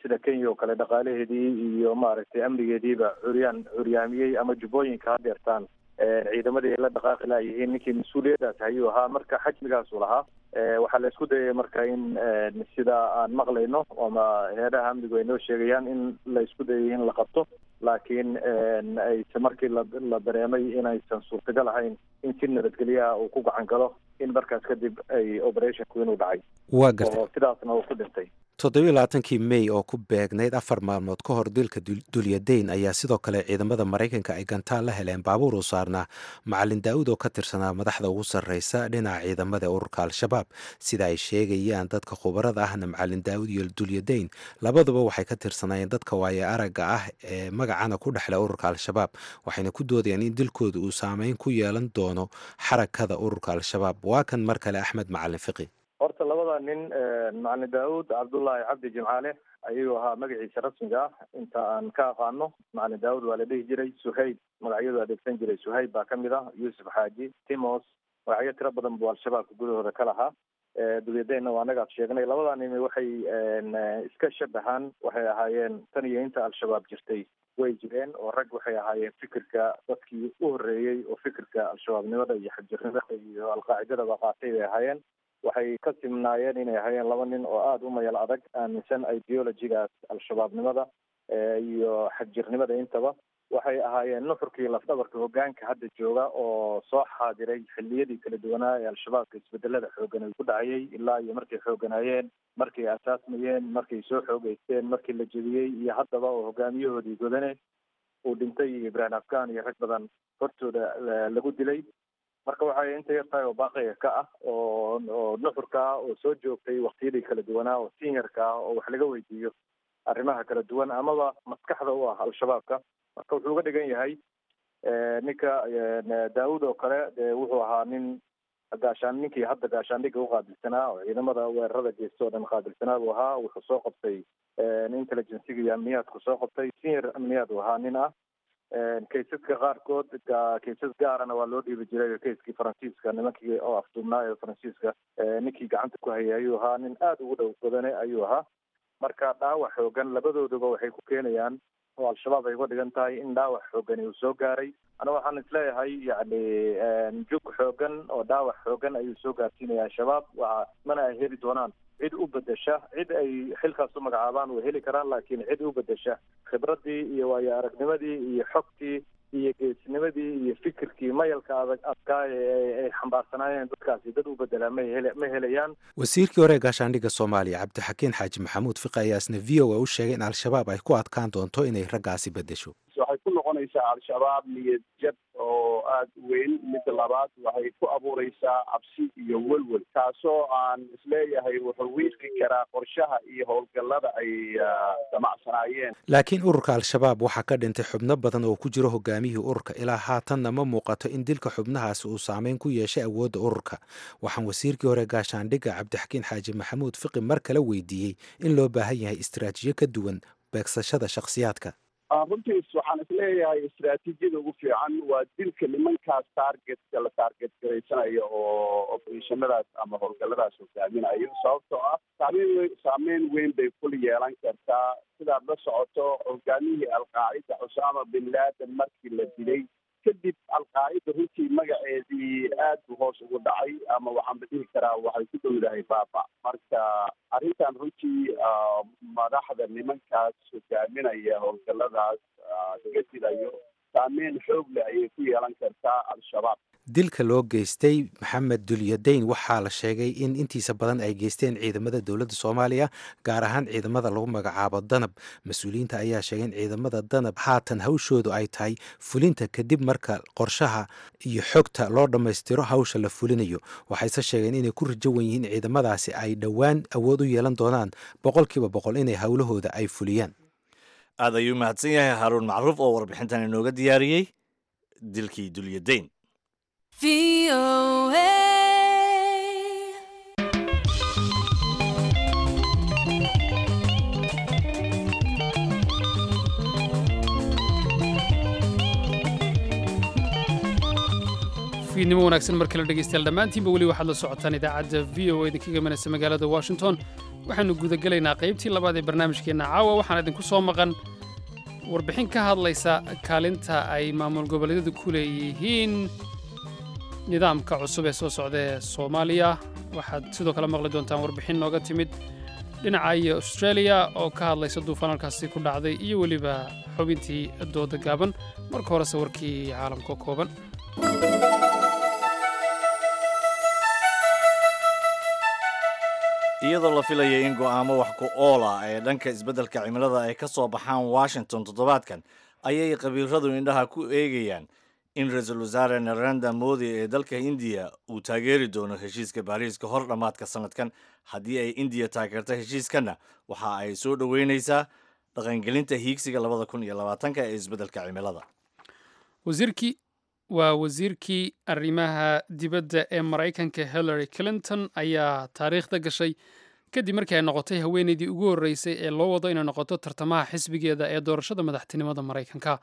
sida Kenya oo kale dhaqaalaheedii iyo maaragtay amnigeediiba curyaan curyaamiyey ama jubbooyinka hadeertaan ciidamadii ay la dhaqaaqi laayihiin, ninkii mas-uuliyaddaas hayuu ahaa. Marka xajmigaasuu lahaa. Waxaa la isku dayay marka in sida aan maqlayno ama heeraha amnigu ay noo sheegayaan in la isku dayay in la qabto, laakiin ayse markii la la dareemay inaysan suurtagal ahayn in si nabadgelyaha uu ku gacan galo, in markaas kadib ay operationku inuu dhacay. Waa gartay. Oo sidaasna uu ku dhintay. Toddobiyo labaatankii May oo ku beegnayd afar maalmood ka hor dilka Dulyadeyn ayaa sidoo kale ciidamada Maraykanka ay gantaal la heleen baabuur u saarnaa Macalin Daa'uud oo ka tirsanaa madaxda ugu sarreysa dhinaca ciidamada ururka Al-Shabaab. Sida ay sheegayaan dadka khubarada ahna, Macalin Daa'uud iyo Dulyadeyn labaduba waxay ka tirsanaayeen dadka waaye aragga ah ee magacana ku dhexleh ururka Al-Shabaab, waxayna ku doodayaan in dilkooda uu saameyn ku yeelan doono xarakada ururka Al-Shabaab. Waa kan mar kale Axmed Macalin Fiqi. Horta labada nin, Macalin Daawud Cabdullaahi Cabdi Jimcaale ayuu ahaa magaciisa rasmiga ah inta aan ka aqaano. Macalin Daawud waa la dhihi jiray, Suhayb magacyadu adeegsan jiray, Suhayb baa kamid ah, Yuusuf Xaaji, Timos, magacyo tiro badan buu Al-Shabaabka gudahooda ka lahaa. Dulyadeenna waa anagaad sheegnay. Labadaa nimi waxay iska shabahaan, waxay ahaayeen tan iyo inta Al-Shabaab jirtay way jireen oo rag waxay ahaayeen fikirka dadkii u horreeyey oo fikirka Al-Shabaabnimada iyo xagjirnimada iyo Alqaacidadaba qaatay bay ahaayeen. Waxay ka simnaayeen inay ahaayeen laba nin oo aada u mayal adag, aaminsan ideologigaas Al-Shabaabnimada iyo xagjirnimada intaba. Waxay ahaayeen nuxurkii lafdhabarka hoggaanka hadda jooga oo soo xaadiray xilliyadii kala duwanaa ee Al-Shabaabka isbedelada xooggan ay ku dhacayay, ilaa iyo markay xoogganaayeen, markay asaasmayeen, markay soo xoogeysteen, markii la jebiyey iyo haddaba oo hogaamiyahoodii Godane uu dhintay iyo Ibraahim Afghan iyo rag badan hortooda lagu dilay. Marka waxay inta yar tahay oo baaqiga ka ah oo oo nuxurka ah oo soo joogtay waqtiyadii kala duwanaa oo seniorka ah oo wax laga weydiiyo arrimaha kala duwan amaba maskaxda u ah Al-Shabaabka. Marka wuxuu uga dhigan yahay ninka Daawud oo kale, dee wuxuu ahaa nin gaashaan ninkii hadda gaashaandhigga uqaabilsanaa oo ciidamada weerarada geysta oo dhan qaabilsanaa buu ahaa. Wuxuu soo qabtay intelligenciga iyo amniyaadku soo qabtay, senior amniyaad uu ahaa nin ah. Kaysaska qaarkood kaysas gaarana waa loo dhiibi jiray. Kayskii Faransiiska, nimankii oo afduubnaa ee Faransiiska, ninkii gacanta ku hayay ayuu ahaa, nin aada ugu dhow Godane ayuu ahaa. Marka dhaawac xoogan labadooduba waxay ku keenayaan oo Al-Shabaab ay uga dhigan tahay in dhaawac xoogani uu soo gaaray. Ana waxaan isleeyahay yacni jug xoogan oo dhaawac xoogan ayuu soo gaarsiinaya Al-Shabaab, waa mana ay heli doonaan cid u bedesha. Cid ay xilkaas u magacaabaan way heli karaan, laakiin cid u bedesha khibraddii iyo waayo aragnimadii iyo xogtii iyo geesnimadii iyo fikirkii mayalka adag adkaa ee ay xambaarsanaayeen dadkaasi dad u bedelaa ma hele ma helayaan. Wasiirkii hore ee gaashaandhigga Soomaaliya Cabdixakiin Xaaji Maxamuud Fiqi ayaa isna V O A u sheegay in Al-Shabaab ay ku adkaan doonto inay raggaasi bedesho. Waxay ku noqonaysaa Al-Shabaab niyad jab oo aada u weyn. Midda labaad, waxay ku abuureysaa cabsi iyo welwel, kaasoo aan isleeyahay wuxuu wiiqi karaa qorshaha iyo howlgallada ay damacsanaayeen. Laakiin ururka Al-Shabaab waxaa ka dhintay xubno badan oo ku jiro hogaamiyihii ururka. Ilaa haatanna ma muuqato in dilka xubnahaasi uu saameyn ku yeeshay awoodda ururka. Waxaan wasiirkii hore gaashaandhigga Cabdixakiin Xaaji Maxamuud Fiqi mar kale weydiiyey in loo baahan yahay istaraatiijiyo ka duwan beegsashada shakhsiyaadka. Runtiis waxaan isleeyahay istaraatiijiyada ugu fiican waa dilka nimankaas targetka la target garaysanayo oo operationadaas ama howlgalladaas hogaaminayo, sababtoo ah saameyn weyn saameyn weyn bay kul yeelan kartaa. Sidaad la socoto, hogaamihii Alqaacida Cusaama bin Laden markii la dilay kadib, Alqaacida runtii magaceedii aad buu hoos ugu dhacay, ama waxaan ba dhihi karaa waxay ku dhowdahay baaba. Marka arrintan runtii madaxda nimankaas hogaaminaya howlgalladaas laga dilayo saameyn xoog leh ayay ku yeelan kartaa Al-Shabaab. Dilka loo geystay Maxamed Dulyadeyn waxaa la sheegay in intiisa badan ay geysteen ciidamada dowladda Soomaaliya, gaar ahaan ciidamada lagu magacaabo Danab. Mas-uuliyiinta ayaa sheegay in ciidamada Danab haatan hawshoodu ay tahay fulinta kadib marka qorshaha iyo xogta loo dhammaystiro hawsha la fulinayo. Waxayse sheegeen inay ku rajo wen yihiin ciidamadaasi ay dhowaan awood u yeelan doonaan boqolkiiba boqol inay howlahooda ay fuliyaan. Aad ayuu mahadsan yahay Haaruun Macruuf oo warbixintan inooga diyaariyey Dilkii Dulyadayn. Fiidnimo wanaagsan mar kale dhegeystayaal dhammaantiinba. Weli waxaad la socotaan idaacadda V O A idinkaga imanaysa magaalada Washington. Waxaanu gudagelaynaa qaybtii labaad ee barnaamijkeenna caawa. Waxaan idinku soo maqan warbixin ka hadlaysa kaalinta ay maamul goboleedyadu ku leeyihiin nidaamka cusub ee soo socda ee Soomaaliya. Waxaad sidoo kale maqli doontaan warbixin nooga timid dhinaca iyo Australia oo ka hadlaysa duufaan halkaasi ku dhacday, iyo weliba xubintii dooda gaaban. Marka horese warkii caalamka kooban. Iyadoo la filaya in go'aamo wax ku oola ee dhanka isbeddelka cimilada ay ka soo baxaan Washington toddobaadkan, ayay khabiiradu indhaha ku eegayaan in ra-iisul wasaare Narendra Modi ee dalka Indiya uu taageeri doono heshiiska Baariis ka hor dhammaadka sanadkan. Haddii ay Indiya taageerto heshiiskanna, waxa ay soo dhoweynaysaa dhaqangelinta hiigsiga labada kun iyo labaatanka ee isbeddelka cimilada. Wasiirkii waa wasiirkii arrimaha dibadda ee Maraykanka Hillary Clinton ayaa taariikhda gashay kadib markii ay noqotay haweeneydii ugu horreysay ee loo wado inay noqoto tartamaha xisbigeeda ee doorashada madaxtinimada Maraykanka.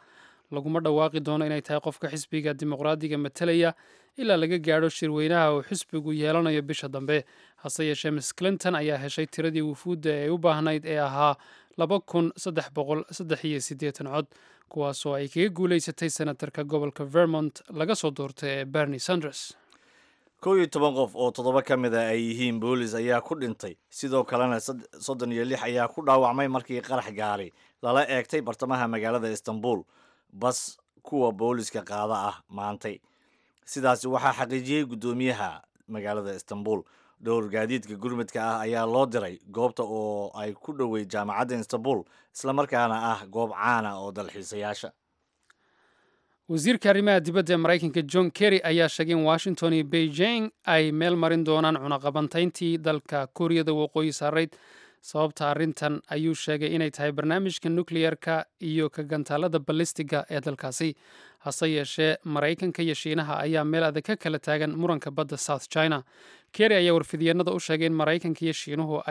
Laguma dhawaaqi doono inay tahay qofka xisbiga Dimuqraadiga matalaya ilaa laga gaadho shirweynaha uu xisbigu yeelanayo bisha dambe. Hase yeeshee, Miss Clinton ayaa heshay tiradii wufuudda ee u baahnayd ee ahaa laba kun saddex boqol saddex iyo siddeetan cod, kuwaasoo ay kaga guulaysatay senatarka gobolka Vermont laga soo doortay ee Bernie Sanders. Kow iyo toban qof oo toddoba ka mid a ay yihiin boolis ayaa ku dhintay, sidoo kalena soddon iyo lix ayaa ku dhaawacmay markii qarax gaari lala eegtay bartamaha magaalada Istanbul bas kuwa booliska qaada ah maantay. Sidaasi waxaa xaqiijiyey guddoomiyaha magaalada Istanbul. Dhowr gaadiidka gurmudka ah ayaa loo diray goobta oo ay ku dhowey jaamacadda Istanbul, islamarkaana ah goob caana oo dalxiisayaasha. Wasiirka arrimaha dibadda ee Maraykanka John Kerry ayaa sheegay in Washington iyo Beijing ay meel marin doonaan cunaqabantayntii dalka Kuuriyada Waqooyi saarayd. Sababta arrintan ayuu sheegay inay tahay barnaamijka nukleyerka iyo ka gantaalada balistiga ee dalkaasi. Hase yeeshee, Maraykanka iyo Shiinaha ayaa meel adag ka kala taagan muranka badda South China. Kerry ayaa warfidyeennada u sheegay in Maraykanka iyo Shiinuhu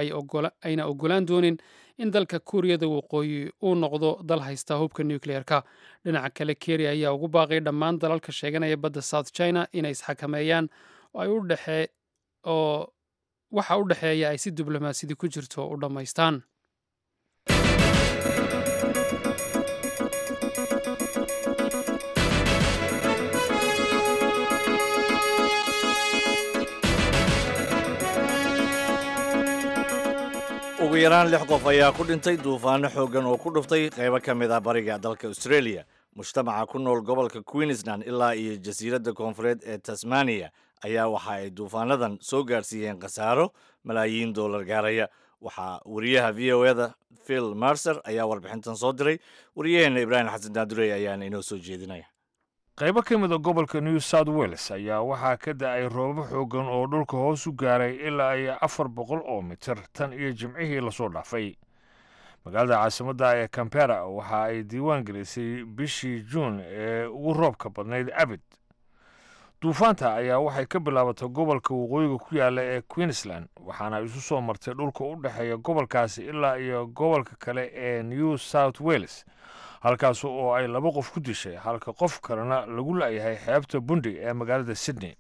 ayna ogolaan doonin in dalka Kuuriyada Waqooyi uu noqdo dal haysta hubka nukleyerka. Dhinaca kale, Kerry ayaa ugu baaqay dhammaan dalalka sheeganaya badda South China inay isxakameeyaan oo ay u dhexe oo waxa u dhexeeya ay si diblomaasiyadi ku jirto u dhammaystaan. Ugu yaraan lix qof ayaa ku dhintay duufaano xooggan oo ku dhuftay qaybo ka mid ah bariga dalka Australia. Mujtamaca ku nool gobolka Queensland ilaa iyo jasiiradda koonfureed ee Tasmania ayaa waxa ay duufaanadan soo gaarsiiyeen khasaaro malaayiin doolar gaaraya. Waxaa wariyaha V O eda Phil Mercer ayaa warbixintan soo diray. Wariyaheena Ibraahim Xasan Daandurey ayaana inoo soo jeedinaya. Qaybo ka mid a gobolka New South Wales ayaa waxaa ka da'ay roobab xooggan oo dhulka hoos u gaaray ilaa iyo afar boqol oo mitir tan iyo Jimcihii lasoo dhaafay. Magaalada caasimadda ee Cambera waxa ay diiwaan gelisay bishii Juun ee ugu roobka badnayd abid. Duufaanta ayaa waxay ka bilaabatay gobolka waqooyiga ku yaala ee Queensland, waxaana isu soo martay dhulka u dhexeeya gobolkaasi ilaa iyo gobolka kale ee New South Wales, halkaas oo ay laba qof ku dishay, halka qof kalena lagu la'yahay xeebta Bundi ee magaalada Sydney.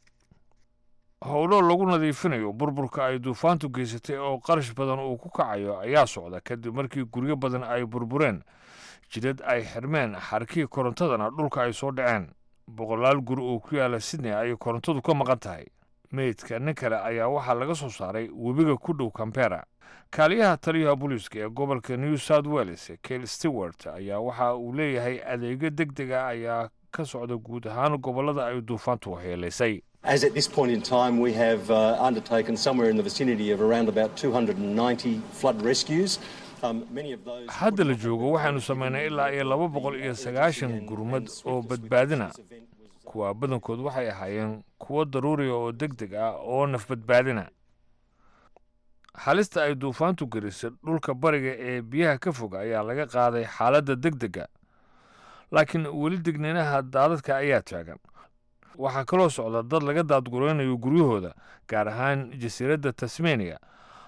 Howlo lagu nadiifinayo burburka ay duufaantu geysatay oo qarash badan uu ku kacayo ayaa socda, kadib markii guryo badan ay burbureen, jidad ay xirmeen, xarkii korontadana dhulka ay soo dhaceen. Boqolaal guri oo ku yaala Sydney ayay korontadu ka maqan tahay. Meydka nin kale ayaa waxaa laga soo saaray webiga ku dhow Cambera. Kaaliyaha taliyaha booliiska ee gobolka New South Wales Kel Stewart ayaa waxa uu leeyahay adeegyo deg deg ah ayaa ka socda guud ahaan gobolada ay duufaantu waxyeelaysay. As at this point in time, we have uh, undertaken somewhere in the vicinity of around about two hundred ninety flood rescues. Um, many of those Hadda la joogo waxaanu samaynay ilaa iyo laba boqol iyo sagaashan gurmad oo badbaadina. Kuwa badankood waxay ahaayeen kuwo daruuriya oo deg deg ah oo nafbadbaadina. Halista ay duufaantu gelisay dhulka bariga ee biyaha ka fog ayaa laga qaaday xaaladda deg dega. Laakiin weli digniinaha daadadka ayaa taagan. Waxaa kaloo socda dad laga daadguraynayo guryahooda, gaar ahaan jasiiradda Tasmania,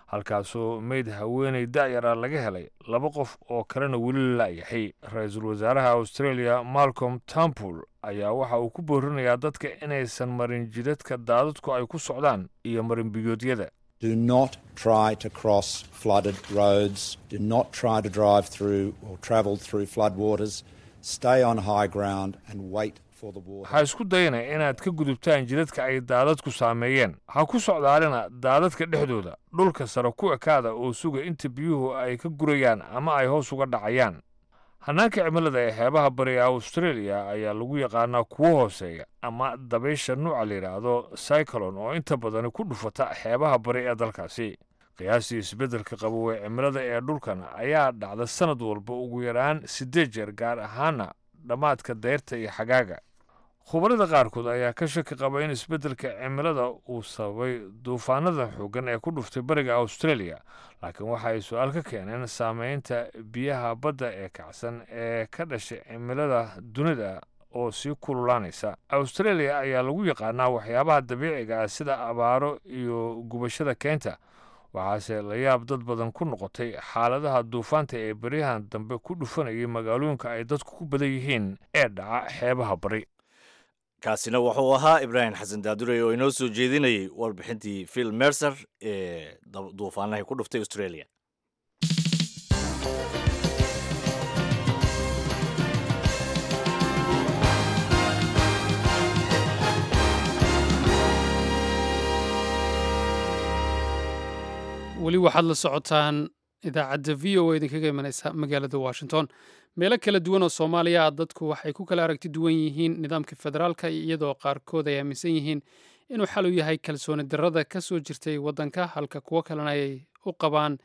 halkaasoo meyd haweeney da'yara laga helay, laba qof oo kalena weli la la'yahay. Ra-iisul wasaaraha Australia Malcolm Turnbull ayaa waxa uu ku boorinayaa dadka inaysan marin jidadka daadadku ay ku socdaan iyo marin biyoodyada. Do not try to cross flooded roads. Do not try to drive through or travel through floodwaters. Stay on high ground and wait for the water. Ha isku dayana inaad ka gudubtaan jidadka ay daadadku saameeyeen. Ha ku socdaalina daadadka dhexdooda. Dhulka sare ku ekaada oo suga inta biyuhu ay ka gurayaan ama ay hoos uga dhacayaan. Hannaanka cimilada ee xeebaha bari ee Australia ayaa lagu yaqaanaa kuwo hooseeya ama dabaysha nuuca la yidhaahdo cyclone oo inta badani ku dhufata xeebaha bari ee dalkaasi. Qiyaastii isbeddelka qabowee cimilada ee dhulkan ayaa dhacda sanad walba ugu yaraan siddeed jeer, gaar ahaana dhammaadka dayrta iyo xagaaga. Khubarada qaarkood ayaa ka shaki qaba in isbeddelka cimilada uu sababay duufaanada xooggan ee ku dhuftay bariga Australia, laakiin waxa ay su-aal ka keeneen saameynta biyaha badda ee kacsan ee ka dhashay cimilada dunida oo sii kululaanaysa. Australia ayaa lagu yaqaanaa waxyaabaha dabiiciga ah sida abaaro iyo gubashada keynta, waxaase la yaab dad badan ku noqotay xaaladaha duufaanta ee beryahan dambe ku dhufanayay magaalooyinka ay dadku ku badan yihiin ee dhaca xeebaha bari. Kaasina wuxuu ahaa Ibraahim Xasan Daadurey oo inoo soo jeedinayay warbixintii Phil Mercer ee duufaanahay ku dhuftay Australia. Weli waxaad la socotaan idaacadda V O A idinkaga imanaysa magaalada Washington. Meelo kala duwan oo Soomaaliya ah dadku waxay ku kala aragti duwan yihiin nidaamka federaalka, iyadoo qaarkood ay aaminsan yihiin inuu xal u yahay kalsooni darrada ka soo jirtay waddanka, halka kuwo kalena ay u qabaan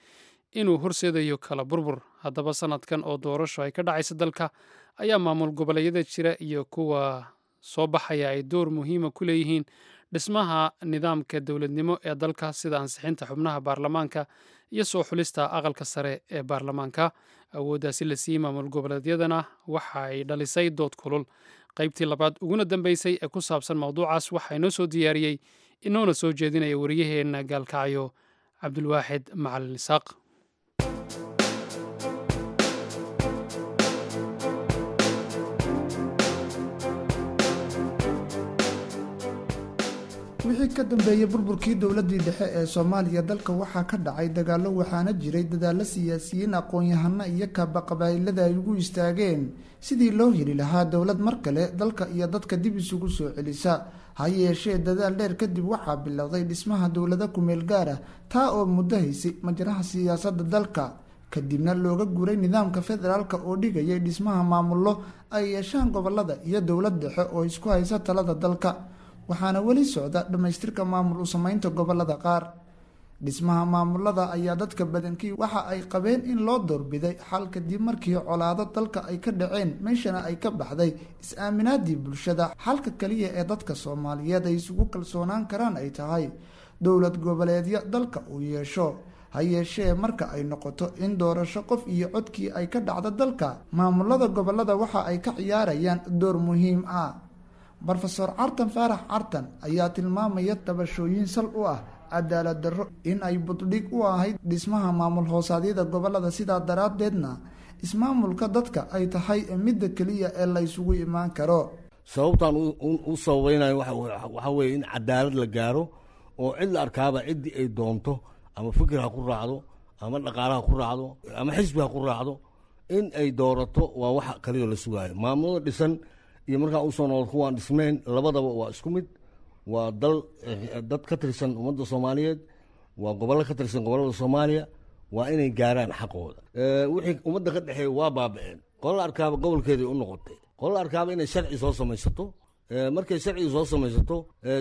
inuu horseedayo kala burbur. Haddaba sanadkan oo doorasho ay ka dhacaysa dalka ayaa maamul goboleedyada jira iyo kuwa soo baxaya ay door muhiima ku leeyihiin dhismaha nidaamka dowladnimo ee dalka, sida ansixinta xubnaha baarlamaanka iyo soo xulista aqalka sare ee baarlamaanka. Awooddaasi la siiyey maamul goboleedyadana waxa ay dhalisay dood kulul. Qaybtii labaad uguna dambeysay ee ku saabsan mowduucaas waxaa inoo soo diyaariyey inoona soo jeedinaya wariyaheenna Gaalkacyo, Cabdulwaaxid Macalin Isaaq. Wixii ka dambeeyey burburkii dowladii dhexe ee Soomaaliya, dalka waxaa ka dhacay dagaallo, waxaana jiray dadaallo siyaasiyiin, aqoon-yahano iyo kaaba qabaa'ilada ay ugu istaageen sidii loo heli lahaa dowlad mar kale dalka iyo dadka dib isugu soo celisa. Ha yeeshee dadaal dheer kadib waxaa bilowday dhismaha dowlado kumeel gaar ah, taa oo muddo haysay majraha siyaasadda dalka, kadibna looga guuray nidaamka federaalka oo dhigayay dhismaha maamullo ay yeeshaan gobolada iyo dowlad dhexe oo isku haysa talada dalka. Waxaana weli socda dhammaystirka maamul u sameynta gobolada qaar. Dhismaha maamulada ayaa dadka badankii waxa ay qabeen in loo doorbiday xal kadib markii colaado dalka ay ka dhaceen, meeshana ay ka baxday is-aaminaadii bulshada. Xalka kaliya ee dadka Soomaaliyeed ay isugu kalsoonaan karaan ay tahay dowlad goboleedyo dalka uu yeesho. Ha yeeshee marka ay noqoto in doorasho qof iyo codkii ay ka dhacdo dalka, maamulada gobolada waxa ay ka ciyaarayaan door muhiim ah. Brofesor Cartan Faarax Cartan ayaa tilmaamaya tabashooyin sal u ah cadaalad darro in ay buddhig u ahayd dhismaha maamul hoosaadyada gobolada, sidaa daraaddeedna ismaamulka dadka ay tahay midda keliya ee la isugu imaan karo. Sababtaan u sababaynayo waxaa weeye in cadaalad la gaaro oo cid la arkaaba ciddii ay doonto, ama fikir ha ku raacdo, ama dhaqaale ha ku raacdo, ama xisbi ha ku raacdo, in ay doorato waa waxa kaliya la sugaayo. Maamulada dhisan iyo markaa usoo noqod kuwaan dhisnayn labadaba waa isku mid. Waa dal dad ka tirsan ummadda Soomaaliyeed, waa gobollo ka tirsan gobollada Soomaaliya, waa inay gaaraan xaqooda. Wixii ummadda ka dhexeeya waa baaba'een. Qola arkaaba gobolkeeday u noqotay, qola arkaaba inay sharci soo samaysato. Markay sharcigi soo samaysato,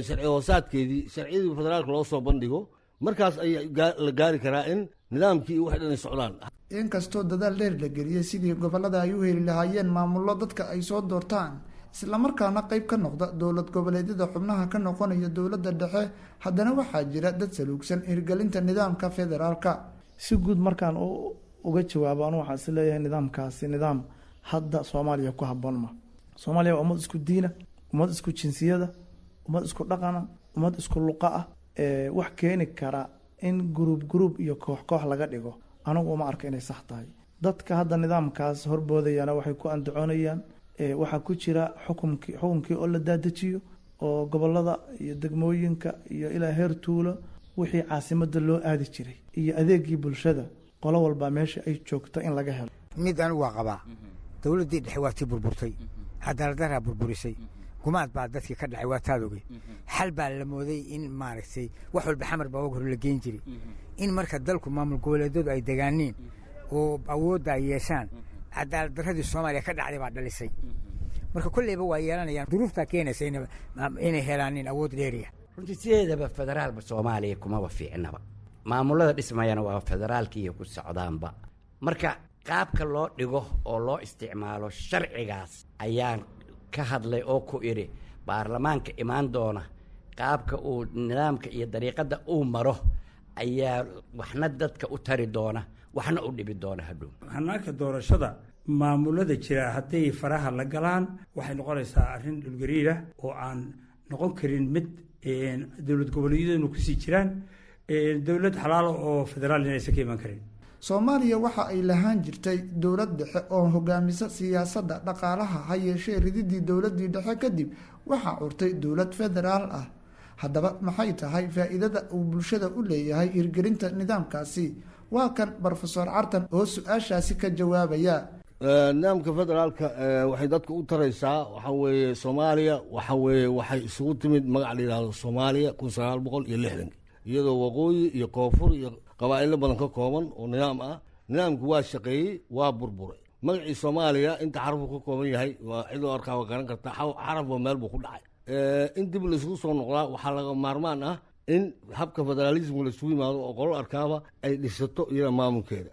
sharci hoosaadkeedii sharciyadii federaalka loo soo bandhigo, markaas ayaa la gaari karaa in nidaamkii iyo wax dhan ay socdaan. Inkastoo dadaal dheer la geliyey sidii gobolada ay u heli lahaayeen maamullo dadka ay soo doortaan, islamarkaana qayb ka noqda dowlad goboleedyada xubnaha ka noqonaya dowladda dhexe, haddana waxaa jira dad saluugsan hirgelinta nidaamka federaalka. Si guud markaan uga jawaabo, anu waxaan is leeyahay nidaamkaasi nidaam Hadda Soomaaliya ku habboon ma. Soomaaliya waa ummad isku diina, ummad isku jinsiyada, ummad isku dhaqana, ummad isku luqa ah. Wax keeni kara in guruub guruub iyo koox koox laga dhigo anigu uma arka inay sax tahay. Dadka hadda nidaamkaas horboodayana waxay ku andacoonayaan waxaa ku jira xukumkii xukunkii oo la daadajiyo oo gobolada iyo degmooyinka iyo ilaa heer tuulo wixii caasimada loo aadi jiray iyo adeegii bulshada qolo walba meesha ay joogto in laga helo. Mid anigu waa qabaa, dowladdii dhexe waa tii burburtay, cadaaladdaraa burburisay, gumaad baa dadkii ka dhacay, waa taad ogey. Xal baa la mooday in maaragtay wax walba Xamar baa og hor la geyn jiray, in marka dalku maamul goboleedyadu ay degaaniin oo awoodda ay yeeshaan. Cadaalad darradii Soomaaliya ka dhacday baa dhalisay. Marka kolleyba waa yeelanayaan, duruuftaa keenaysa inay helaanin awood dheeriya. Runtii sideedaba federaalba Soomaaliya kumaba fiicnaba, maamulada dhismayana waa federaalkiiyo ku socdaanba. Marka qaabka loo dhigo oo loo isticmaalo sharcigaas ayaan ka hadlay oo ku idhi baarlamaanka imaan doona qaabka uu nidaamka iyo dariiqadda uu maro ayaa waxna dadka u tari doona, waxna u dhibi doona hadhow. Hanaanka doorashada maamulada jira hadday faraha la galaan waxay noqonaysaa arrin dhulgariirah oo aan noqon karin mid dowlad goboleedyaduna kusii jiraan dowlad xalaalo oo federaal inaysan ka iman karin. Soomaaliya waxa ay lahaan jirtay dowlad dhexe oo hogaamisa siyaasadda, dhaqaalaha. Ha yeeshee rididii dowladdii dhexe kadib waxaa curtay dowlad federaal ah. Haddaba maxay tahay faa'iidada uu bulshada u leeyahay hirgelinta nidaamkaasi? Waa kan Brofesor Cartan oo su-aashaasi ka jawaabaya. Nidaamka federaalka waxay dadka u taraysaa waxaa weeye, Soomaaliya waxa weeye waxay isugu timid magac la yidhaahdo Soomaaliya kun sagaal boqol iyo lixdanki, iyadoo waqooyi iyo koonfur iyo qabaa'ilo badan ka kooban oo nidaam ah. Nidaamku waa shaqeeyey, waa burburay. Magacii Soomaaliya inta xarafuu ka kooban yahay waa cidoo arkaa waa garan kartaa, xarafba meel buu ku dhacay. In dib laisugu soo noqdaa waxaa laga maarmaan ah in habka federaalismka laisugu yimaado oo qolol arkaaba ay dhisato iyada maamulkeeda.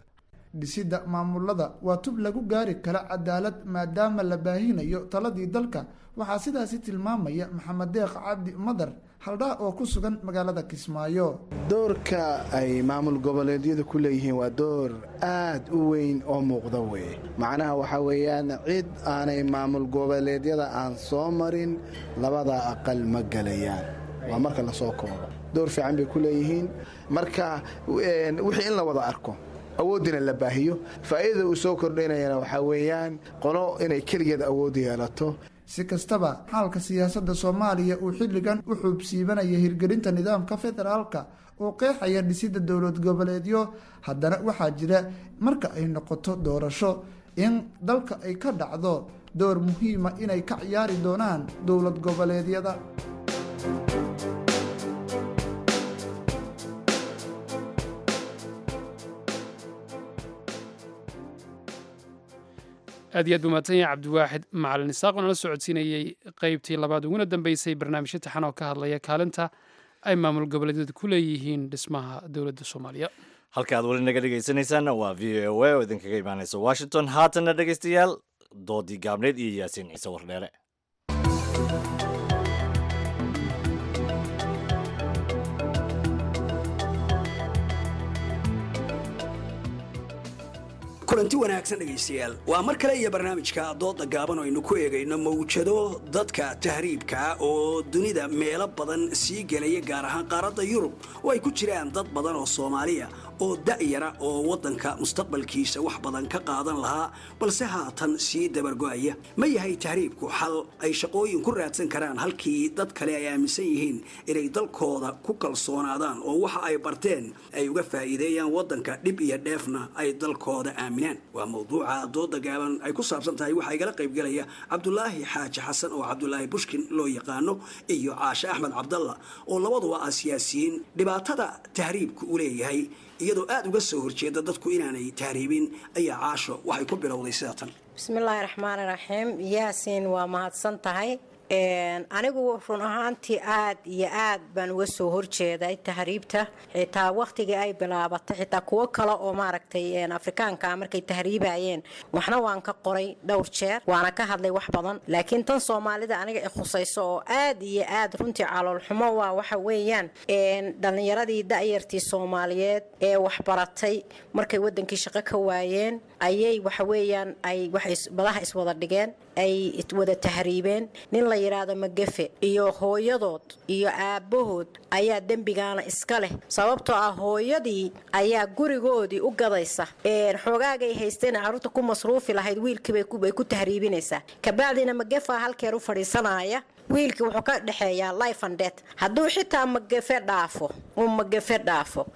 Dhisidda maamulada waa tub lagu gaari kara cadaalad maadaama la baahinayo taladii dalka. Waxaa sidaasi tilmaamaya Maxamed Deeq Cabdi Madar Haldhaa oo ku sugan magaalada Kismaayo. Doorka ay maamul goboleedyadu ku leeyihiin waa door aad u weyn oo muuqda weye. Macnaha waxaa weeyaan cid aanay maamul goboleedyada aan soo marin labada aqal ma gelayaan. Waa marka lasoo koobo, door fiican bay ku leeyihiin. Marka wixii in la wada arko, awooddina la baahiyo, faa'iidada uu soo kordhinayana waxaa weeyaan qolo inay keligeed awood yeelato. Si kastaba xaalka siyaasadda Soomaaliya uu xilligan u xuubsiibanaya hirgelinta nidaamka federaalka oo qeexaya dhisidda dowlad goboleedyo, haddana waxaa jira marka ay noqoto doorasho in dalka ay ka dhacdo door muhiima inay ka ciyaari doonaan dowlad goboleedyada. Aad iyo aad buu mahadsan yahay Cabdiwaaxid Macalin Isaaq oo nala socodsiinayey qeybtii labaad uguna dambeysay barnaamijyo taxan oo ka hadlaya kaalinta ay maamul goboleedyadu ku leeyihiin dhismaha dowladda Soomaaliya. Halka aad weli naga dhegaysanaysaanna waa V O A oo idinkaga imaanaysa Washington. Haatanna dhegaystayaal, doodii gaabneed iyo Yaasiin Ciise Wardheere. Kulanti wanaagsan dhegaystayaal, waa mar kale iyo barnaamijka dooda gaaban oo aynu ku eegayno mawjado dadka tahriibka oo dunida meelo badan sii gelaya, gaar ahaan qaaradda Yurub, oo ay ku jiraan dad badan oo Soomaaliya oo da'yara oo waddanka mustaqbalkiisa wax badan ka qaadan lahaa, balse haatan sii dabargo'aya. Ma yahay tahriibku xal ay shaqooyin ku raadsan karaan halkii dad kale ay aaminsan yihiin inay dalkooda ku kalsoonaadaan oo waxa ay barteen ay uga faa'iideeyaan waddanka, dhib iyo dheefna ay dalkooda aaminaan? Waa mawduuca dooda gaaban ay ku saabsan tahay. Waxaa igala qaybgelaya Cabdulaahi Xaaji Xasan oo Cabdulaahi Bushkin loo yaqaano iyo Caashe Axmed Cabdalla oo labaduba ah siyaasiyiin. Dhibaatada tahriibku u leeyahay iyadoo aada uga soo horjeeda dadku inaanay tahriibin ayaa Caasho waxay ku bilowday sida tan. Bismillaahi raxmaani raxiim. Yaasiin, waa mahadsan tahay. Anigu run ahaantii aad iyo aad baan uga soo horjeeday tahriibta, xitaa wakhtigii ay bilaabatay, xitaa kuwo kale oo maaragtay Afrikaanka markay tahriibayeen waxna waan ka qoray dhowr jeer, waana ka hadlay wax badan. Laakiin tan Soomaalida aniga i khusayso oo aad iyo aad runtii caloolxumo waa waxa weeyaan dhallinyaradii da'yartii Soomaaliyeed ee waxbaratay markay wadankii shaqo ka waayeen ayay waxa weeyaan ay waxay badaha iswada dhigeen, ay wada tahriibeen. Nin la yidhaahdo Magafe iyo hooyadood iyo aabbahood ayaa dembigaana iska leh, sababtoo ah hooyadii ayaa gurigoodii u gadaysa xoogaagay haysteen carruurta ku masruufi lahayd, wiilkiibay ku tahriibinaysaa. Kabacdina Magafa halkeer u fadhiisanaya, wiilkii wuxuu ka dhexeeyaa life and death. Hadduu xitaa Magafe dhaafo, uu Magafe dhaafo,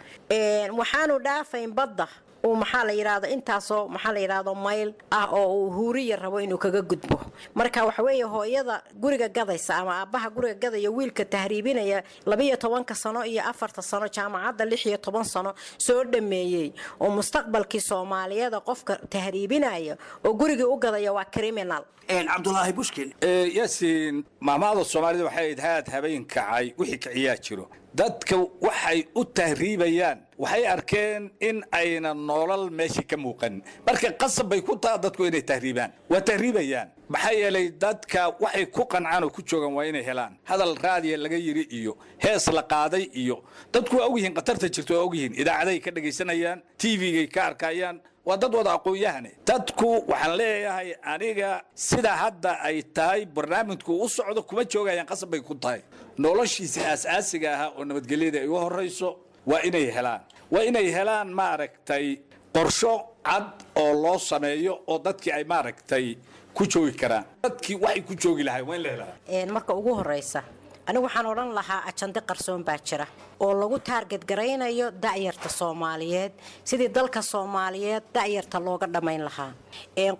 waxaanu dhaafayn badda uu maxaa la yidhaahdo intaasoo maxaa la yidhaahdo mayl ah oo uu huuriya rabo inuu kaga gudbo. Marka waxa weeye hooyada guriga gadaysa ama aabbaha guriga gadaya wiilka tahriibinaya labiyo tobanka sano iyo afarta sano jaamacadda lix iyo toban sano soo dhameeyey oo mustaqbalkii Soomaaliyada qofka tahriibinaya oo gurigii u gadaya waa criminal. Cabdulaahi Bushkin. Yaasiin, maamaada Soomaalida waxay ahayd haad habeen kacay wixii kiciyaa jiro. Dadka waxay u tahriibayaan waxay arkeen in ayna nolol meeshii ka muuqan, marka qasab bay ku taha dadku inay tahriibaan, waa tahriibayaan. Maxaa yeelay dadka waxay ku qancaan oo ku joogaan waa inay helaan. Hadal raadiya laga yiri iyo hees la qaaday iyo dadku waa ogyihiin khatarta jirto, waa ogyihiin, idaacaday ka dhegaysanayaan, T V-gay ka arkayaan, waa dad wada aqoon-yahane. Dadku waxaan leeyahay aniga sida hadda ay tahay barnaamijku u socdo kuma joogayaan, qasab bay ku tahay. Noloshiisa aas-aasiga ahaa oo nabadgelyada ay u horayso waa inay helaan, waa inay helaan maaragtay qorsho cad oo loo sameeyo oo dadkii ay maaragtay ku joogi karaan. Dadkii waxay ku joogi lahayn waa in la helaa. Marka ugu horeysa anigu waxaan odhan lahaa ajande qarsoon baa jira oo lagu taarget garaynayo da'yarta Soomaaliyeed, sidii dalka Soomaaliyeed da'yarta looga dhammayn lahaa.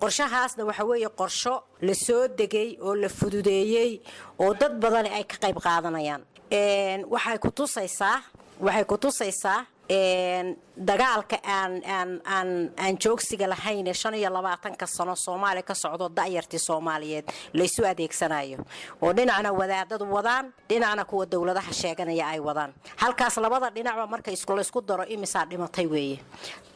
Qorshahaasna waxa weeye qorsho la soo degay oo la fududeeyey oo dad badani ay ka qayb qaadanayaan. Waxay ku tusaysaa waxay ku tusaysaa dagaalka aan aan aan aan joogsiga lahayn ee shan iyo labaatanka sano Soomaaliya ka socdo, da'yartii Soomaaliyeed laysu adeegsanayo oo dhinacna wadaadadu wadaan, dhinacna kuwa dowladaha sheeganaya ay wadaan. Halkaas labada dhinacba marka isku laysku daro imisaa dhimatay weeye.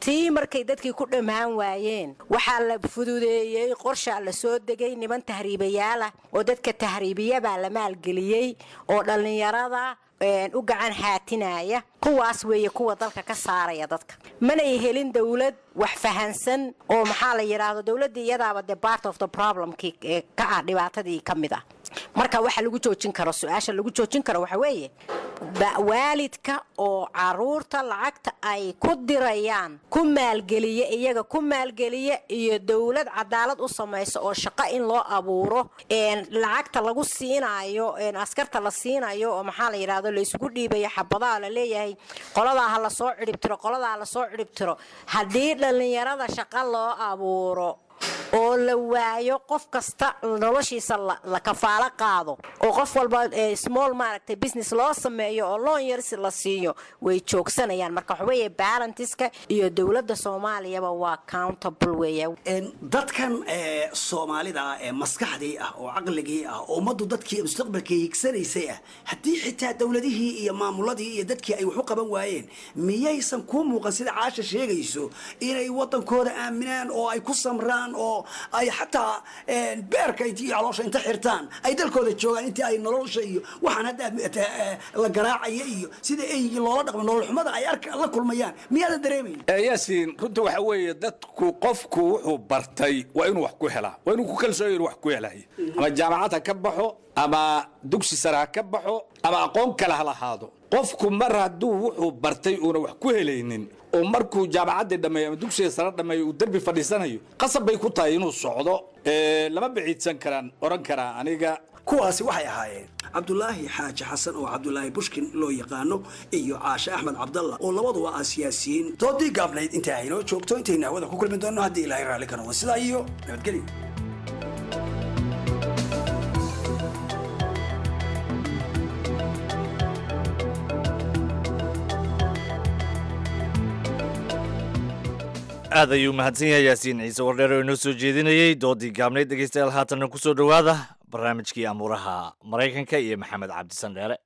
Tii markay dadkii ku dhammaan waayeen waxaa la fududeeyey qorshaa la soo degay, niman tahriibayaalah oo dadka tahriibiyabaa la maalgeliyey oo dhallinyarada u gacan haatinaya. Kuwaas weeye kuwa dalka ka saaraya dadka. Manay helin dowlad wax fahansan oo maxaa la yidhaahdo dowladdii iyadaaba the part of the problemkii ka ah, dhibaatadii ka mid ah. Marka waxa lagu joojin karo, su-aasha lagu joojin karo waxa weeye waalidka oo caruurta lacagta ay ku dirayaan ku maalgeliya, iyaga ku maalgeliya, iyo dowlad cadaalad u samaysa oo shaqo in loo abuuro lacagta lagu siinayo askarta la siinayo oo maxaa la yidhahdo laysugu dhiibayo xabadaha la leeyahay qoladaa ha lasoo cidhibtiro, qoladaa ha lasoo cidhibtiro. Haddii dhallinyarada shaqo loo abuuro oo la waayo qof kasta noloshiisa la kafaalo qaado oo qof walba small maaragtay business loo sameeyo oo loan yarsi la siiyo, way joogsanayaan. Marka waxa weeye parentska iyo dowladda Soomaaliyaba waa accountable weeye. Dadkan Soomaalida ah ee maskaxdii ah oo caqligii ah oo ummaddu dadkii mustaqbalkii higsanaysay ah, haddii xitaa dowladihii iyo maamuladii iyo dadkii ay wax u qaban waayeen, miyaysan kuu muuqan sida Caasha sheegayso inay wadankooda aaminaan oo ay ku samraan oo ay xataa beerka iyo caloosha inta xirtaan ay dalkooda joogaan intii ay nolosha iyo waxaan hadda la garaacaya iyo sida eygii loola dhaqmo nolol xumada ay arka la kulmayaan, miyaadan dareemayn? Yaasiin, runta waxa weeye dadku qofku wuxuu bartay waa inuu wax ku helaa, waa inuu ku kalsoon yahay wax ku helay, ama jaamacad ha ka baxo ama dugsi sare ha ka baxo ama aqoon kale ha lahaado. Qofku mar hadduu wuxuu bartay uuna wax ku helaynin oo markuu jaamacaddii dhammeeyo ama dugsiga sare dhammeeyo uu derbi fadhiisanayo, qasab bay ku tahay inuu socdo. Lama biciidsan karaan odhan karaa aniga. Kuwaasi waxay ahaayeen Cabdulaahi Xaaji Xasan oo Cabdulaahi Bushkin loo yaqaano iyo Caashe Axmed Cabdalla oo labaduba ah siyaasiyiin. Doodii gaabnayd inta aynoo joogto, intaynu hawada ku kulmi doonno haddii Ilaahay raalli ka noqdo, sidaa iyo nabadgelyo. Aad ayuu mahadsan yahay Yaasiin Ciise Wardheer oo inoo soo jeedinayey doodii gaabnayd. Dhegeystayaal, haatanna kusoo dhowaada Barnaamijkii amuuraha Maraykanka iyo Maxamed Cabdisan Dheere.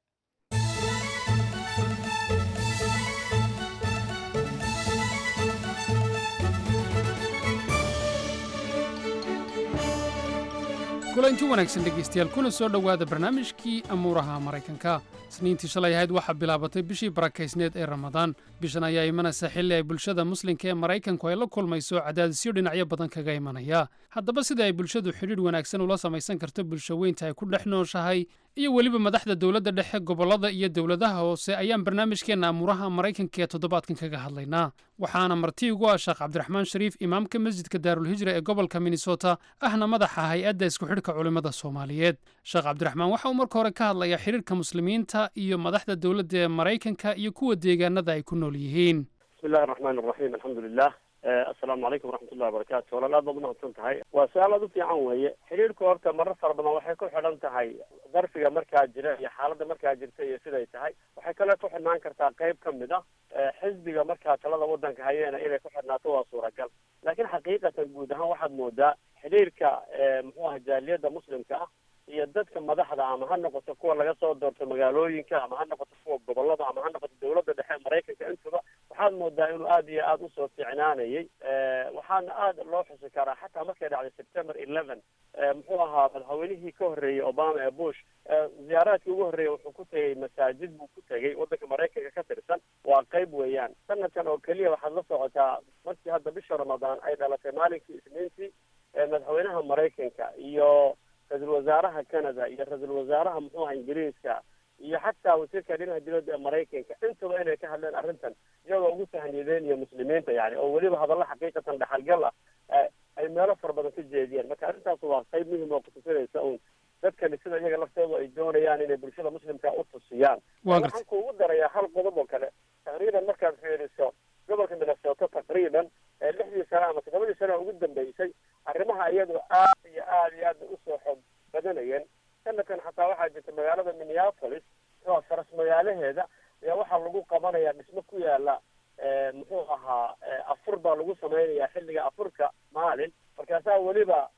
Kulanti wanaagsan dhegaystayaal, kuna soo dhowaada barnaamijkii amuuraha Maraykanka. Isniintii shalay ahayd waxaa bilaabatay bishii barakaysneed ee Ramadaan. Bishan ayaa imanaysa xilli ay bulshada muslimka ee Maraykanku ay la kulmayso cadaadisyo dhinacyo badan kaga imanaya. Haddaba, sida ay bulshadu xidhiidh wanaagsan ula samaysan karto bulsho weynta ay ku dhex nooshahay iyo weliba madaxda dowladda dhexe, gobollada iyo dowladaha hoose ayaan barnaamijkeenna amuuraha Maraykanka ee toddobaadkan kaga hadlaynaa. Waxaana marti ugu ah Sheekh Cabdiraxmaan Shariif, imaamka masjidka Daarulhijra ee gobolka Minnesota, ahna madaxa hay-adda isku xidhka culimmada Soomaaliyeed. Sheekh Cabdiraxmaan waxa uu marka hore ka hadlayaa xidhiirka muslimiinta iyo madaxda dowladda ee Maraykanka iyo kuwa deegaanada ay ku nool yihiin. Bismi illahi raxmaan raxiim, alxamdulilah, assalaamu calaykum waraxmatullahi wabarakaatu. Walaal, aad baad umahadsan tahay, waa su-aal aad u fiican weeye. Xidhiirku horta marar fara badan waxay ku xidhan tahay darfiga markaa jira iyo xaaladda markaa jirta iyo siday tahay. Waxay kaloo ku xidhnaan kartaa qayb ka mid a xisbiga markaa talada waddanka hayeena inay ku xidhnaato waa suuragal. Laakiin xaqiiqatan guud ahaan waxaad moodaa xidhiirka muxuu aha jaaliyadda muslimka ah iyo dadka madaxda, ama ha noqoto kuwa laga soo doorto magaalooyinka, ama ha noqoto kuwa gobolada, ama ha noqoto dowladda dhexe Maraykanka, intuba waxaad moodaa inuu aada iyo aada usoo fiicnaanayay. Waxaana aada loo xusi karaa xataa markay dhacday September eleven, muxuu ahaa madaxweynihii ka horreeyey Obama ee Bush, ziyaaraadkii ugu horreeyey wuxuu ku tegey masaajid buu ku tegey waddanka Maraykanka ka tirsan. Waa qayb weeyaan. Sanadkan oo keliya waxaad la socotaa markii hadda bisha Ramadaan ay dhalatay maalinkii Isniintii, madaxweynaha Maraykanka iyo ra-iisul wasaaraha Canada iyo ra-iisul wasaaraha muxuu aha Ingiriiska iyo xataa wasiirka arrimaha dibadda ee Maraykanka intuba inay ka hadleen arrintan, iyagoo ugu tahniyadeen muslimiinta, yani oo weliba hadallo xaqiiqatan dhaxalgal ah ay meelo fara badan ka jeediyeen. Marka arrintaas waa qayb muhim oo kutusinaysa uun dadkani sida iyaga laftoodu ay doonayaan inay bulshada muslimka u tusiyaan. Waxaan kuugu darayaa hal qodob oo kale. Taqriiban markaad fiiriso gobolka Minnesota, taqriiban lixdii sano ama toddobadii sano ugu dambeysay, arrimaha iyadu aad iyo aad iyo aad bay usoo xoog badanayeen. Sanadkan xataa waxaa jirta magaalada Minneapolis oo faras magaalaheeda ayaa waxaa lagu qabanayaa dhismo ku yaala muxuu ahaa afur baa lagu samaynayaa xilliga afurka maalin. Markaasaa weliba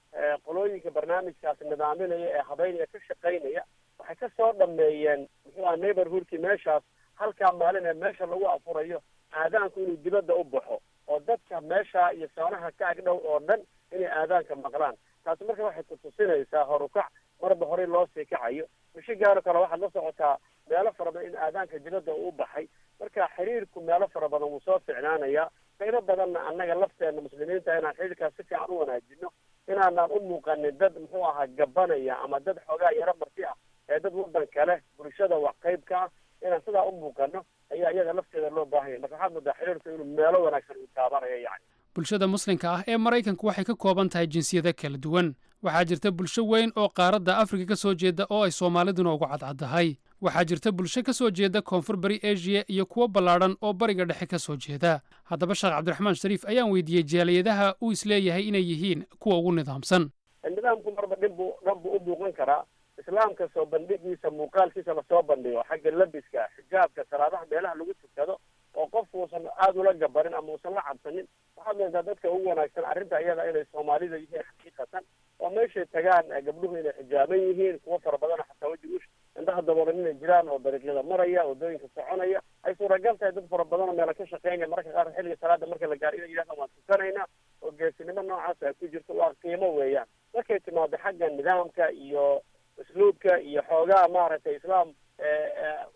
qolooyinka barnaamijkaas nidaaminaya ee habeynaya ka shaqaynaya waxay kasoo dhameeyeen muxuu aha neighborhoodkii meeshaas halkaa maalin ee meesha lagu afurayo aadaanku inuu dibadda u baxo oo dadka meesha iyo soonaha ka agdhow oo dhan inay aadaanka maqlaan. Taasi marka waxay kutusinaysaa horukac marba horey loo sii kacayo. Mishigaano kale waxaad la socotaa meelo fara badan in aadaanka dibadda uu baxay. Marka xiriirku meelo fara badan wuu soo ficnaanayaa. Qaybo badanna annaga lafteena muslimiinta inaan xiriirkaas si fiican u wanaajino, inaanaan u muuqanin dad muxuu ahaa gabanaya ama dad xoogaa yaro marti ah ee dad waddan kale bulshada wax qayb ka ah, inaan sidaa u muuqano ayaa iyaga lafteeda loo baahan yahay. Marka waxaad moodaa xiriirku inuu meelo wanaagsan uu taabanayo yani. Bulshada muslimka ah ee Maraykanku waxay ka kooban tahay jinsiyado kala duwan. Waxaa jirta bulsho weyn oo qaaradda Afrika ka soo jeeda oo ay Soomaaliduna ugu cadcaddahay. Waxaa jirta bulsho ka soo jeeda Koonfur Bari Asia iyo kuwo ballaadhan oo Bariga Dhexe ka soo jeeda. Haddaba, Sheekh Cabdiraxmaan Shariif ayaan weydiiyey jaaliyadaha uu isleeyahay inay yihiin kuwa ugu nidaamsan. Nidaamku marba dhin buu dhan buu u muuqan karaa. Islaamka soo bandhigiisa, muuqaalkiisa lasoo bandhigo xagga labiska, xijaabka, salaadaha meelaha lagu tukado oo qofku uusan aada ula gabarin ama uusan la cabsanin, waxaad moodaa dadka ugu wanaagsan arrinta iyada inay Soomaalida yihiin xaqiiqatan, oo meeshay tagaan gabdhuhu inay xijaaban yihiin, kuwo fara badan xataa weji ush indhaha daboolan inay jiraan oo dariiqyada maraya, waddooyinka soconaya, ay suuragal tahay dad fara badan oo meelo ka shaqeynaya mararka qaar xilliga salaada marka la gaaro inay yidhahdaan waan tukanaynaa, oo geesinimo noocaas ay ku jirto, waa qiimo weeyaan. Markay timaado xagga nidaamka iyo usluubka iyo xoogaa maaragtay islaam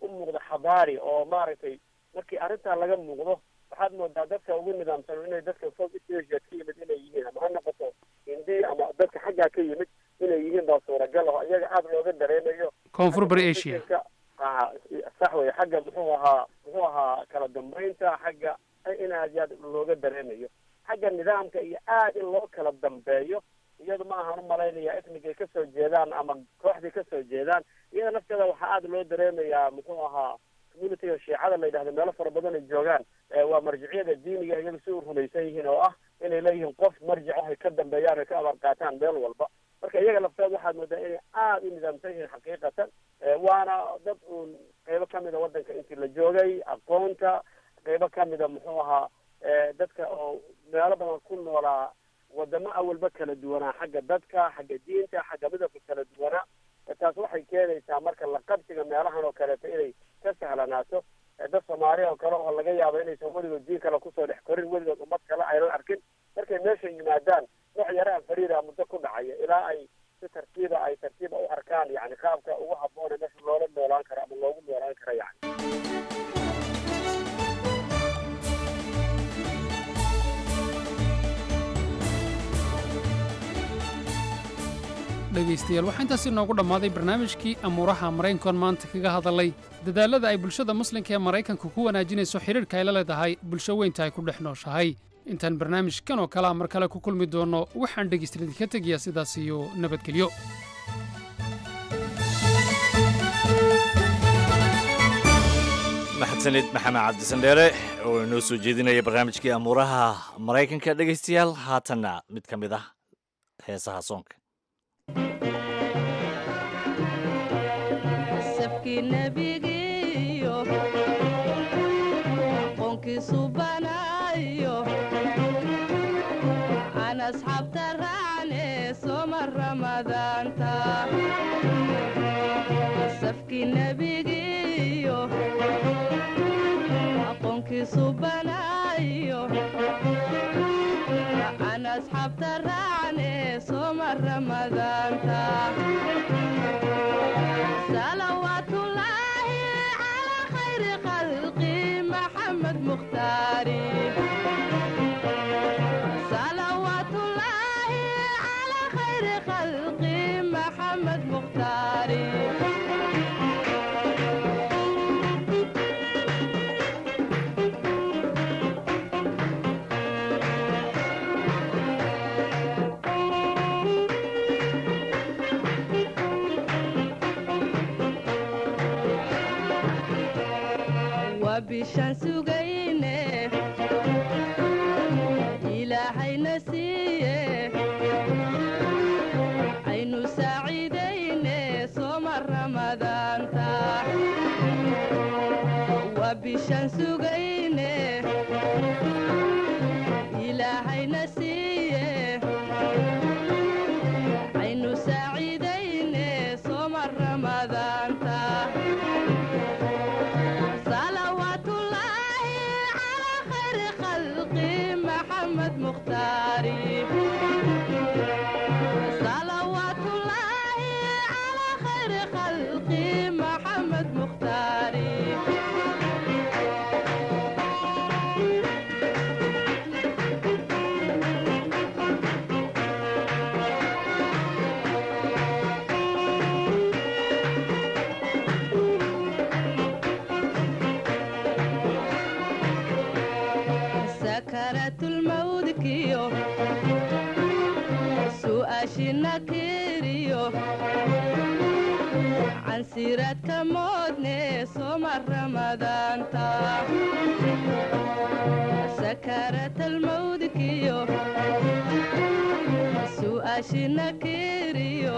u muuqda xadaari oo maaragtay markii arrintaa laga muuqdo, waxaad moodaa dadka ugu nidaamsan inay dadka South East Asia ka yimid inay yihiin, ama ha noqoto Hindi ama dadka xaggaa ka yimid inay yihiin baa suuragal oo iyaga aada looga dareemayo. Koonfur Bari Asia. A sax wey. Xagga muxuu ahaa muxuu ahaa kala dambeynta, xagga in aad iyo aad looga dareemayo xagga nidaamka iyo aad in loo kala dambeeyo, iyadu ma ahaan umalaynaya ethnicay kasoo jeedaan ama kooxday kasoo jeedaan. Iyada lafteeda waxaa aada loo dareemayaa muxuu ahaa communityga Shiicada la yidhahdo meelo fara badan ay joogaan. Waa marjiciyada diiniga iyagu si u rumaysan yihiin oo ah inay leeyihiin qof marjic ah ay ka dambeeyaan ay ka abaar qaataan meel walba. Marka iyaga lafteeda waxaad moodaa inay aada u nidaamsan yihiin xaqiiqatan, waana dad uun qeybo kamida waddanka intii la joogay aqoonta, qeybo kamida muxuu ahaa dadka oo meelo badan ku noolaa. Wadamo awalba kala duwanaa xagga dadka, xagga diinta, xagga midabka kala duwanaa. Taas waxay keenaysaa marka la qabsiga meelahan oo kaleeto inay ka sahlanaato dad Soomaaliya oo kale oo laga yaabo inaysan weligood diin kale kusoo dhex korin, weligood ummad kale aynan arkin. Markay meesha yimaadaan nooc yaraha fariira muddo ku dhacaya ilaa ay si tartiiba ay tartiiba u arkaan yani qaabka ugu habboon ee meesha loola noolaan karo ama loogu noolaan karo yani. Dhegaystayaal, waxaa intaasi noogu dhammaaday barnaamijkii amuuraha Maraykankoon maanta kaga hadalay dadaallada ay bulshada muslimka ee Maraykanka ku wanaajinayso xidhiidhka ay la leedahay bulsho weynta ay ku dhex nooshahay. Intaan barnaamijkan oo kalea mar kale ku kulmi doonno, waxaan dhegaystayaal idinka tegayaa sidaas iyo nabadgelyo. Mahadsanid Maxamed Cabdisandheere oo inoo soo jeedinaya barnaamijkii amuuraha Maraykanka. Dhegaystayaal, haatanna mid ka mid ah heesaha soonka. Safkii nebigiyo qoonkiisu banayo aan asxaabta raacne soma Ramadaanta. Safkii nebigiyo aqoonkiisu banayo aan asxaabta raacne soma Ramadaanta. Salawaatullaahi calaa khayri khalqi Maxamed Mukhtaari. Salawaatullaahi calaa khayri khalqi Maxamed Mukhtaari. Waa bishaan sugayne Ilaahayna siiye aynu saaciidayne soma Ramadaanta. Waa bishaan sugayne Ilaahayna siiye aynu saaciidayne soma Ramadaanta. Salawaatullaahi calaa khayri khalqi Maxamed Mukhtaari. Salawaatullaahi calaa khayri khalqi Maxamed Mukhtaari. Sakaraatulmawdkiyo su'aashina kiriyo cansiraadka moodne soma Ramadaanta. Sakaraatulmawdkiyo su'aashina kiriyo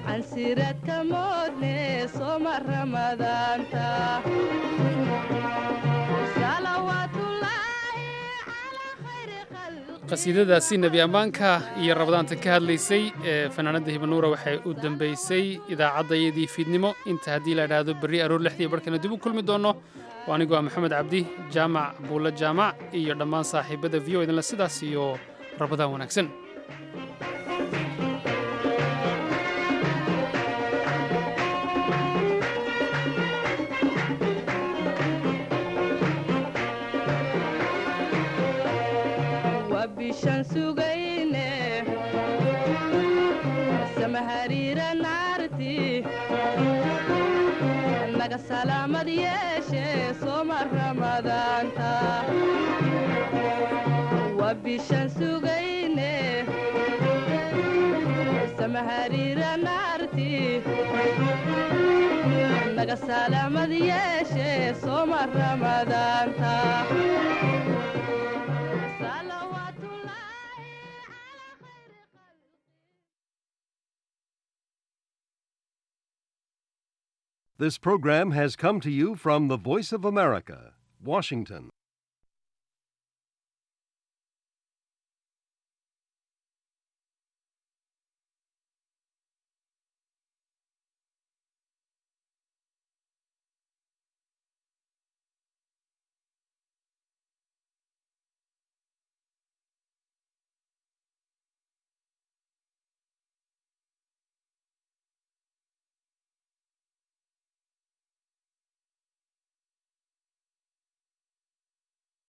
cansiraadka moodne soma Ramadaanta. Qasiidadaasi nebi ammaanka iyo Rabadaanta ka hadlaysay ee fanaanadda Hibanuura waxay u dambaysay idaacaddayadii fiidnimo. Inta haddii la idhaahdo berri aroor lixdii barhkana dib u kulmi doonno, waa anigoo ah Maxamed Cabdi Jaamac Buulle Jaamac iyo dhammaan saaxiibada V O idinle sidaas iyo Rabadaan wanaagsan. Waa bishaan sugayne samahariira naarti naga salaamad yeeshe soma Ramadaanta. Waa bishaan sugayne samahariira naarti naga salaamad yeeshe soma Ramadaanta. This program has come to you from the Voice of America, Washington.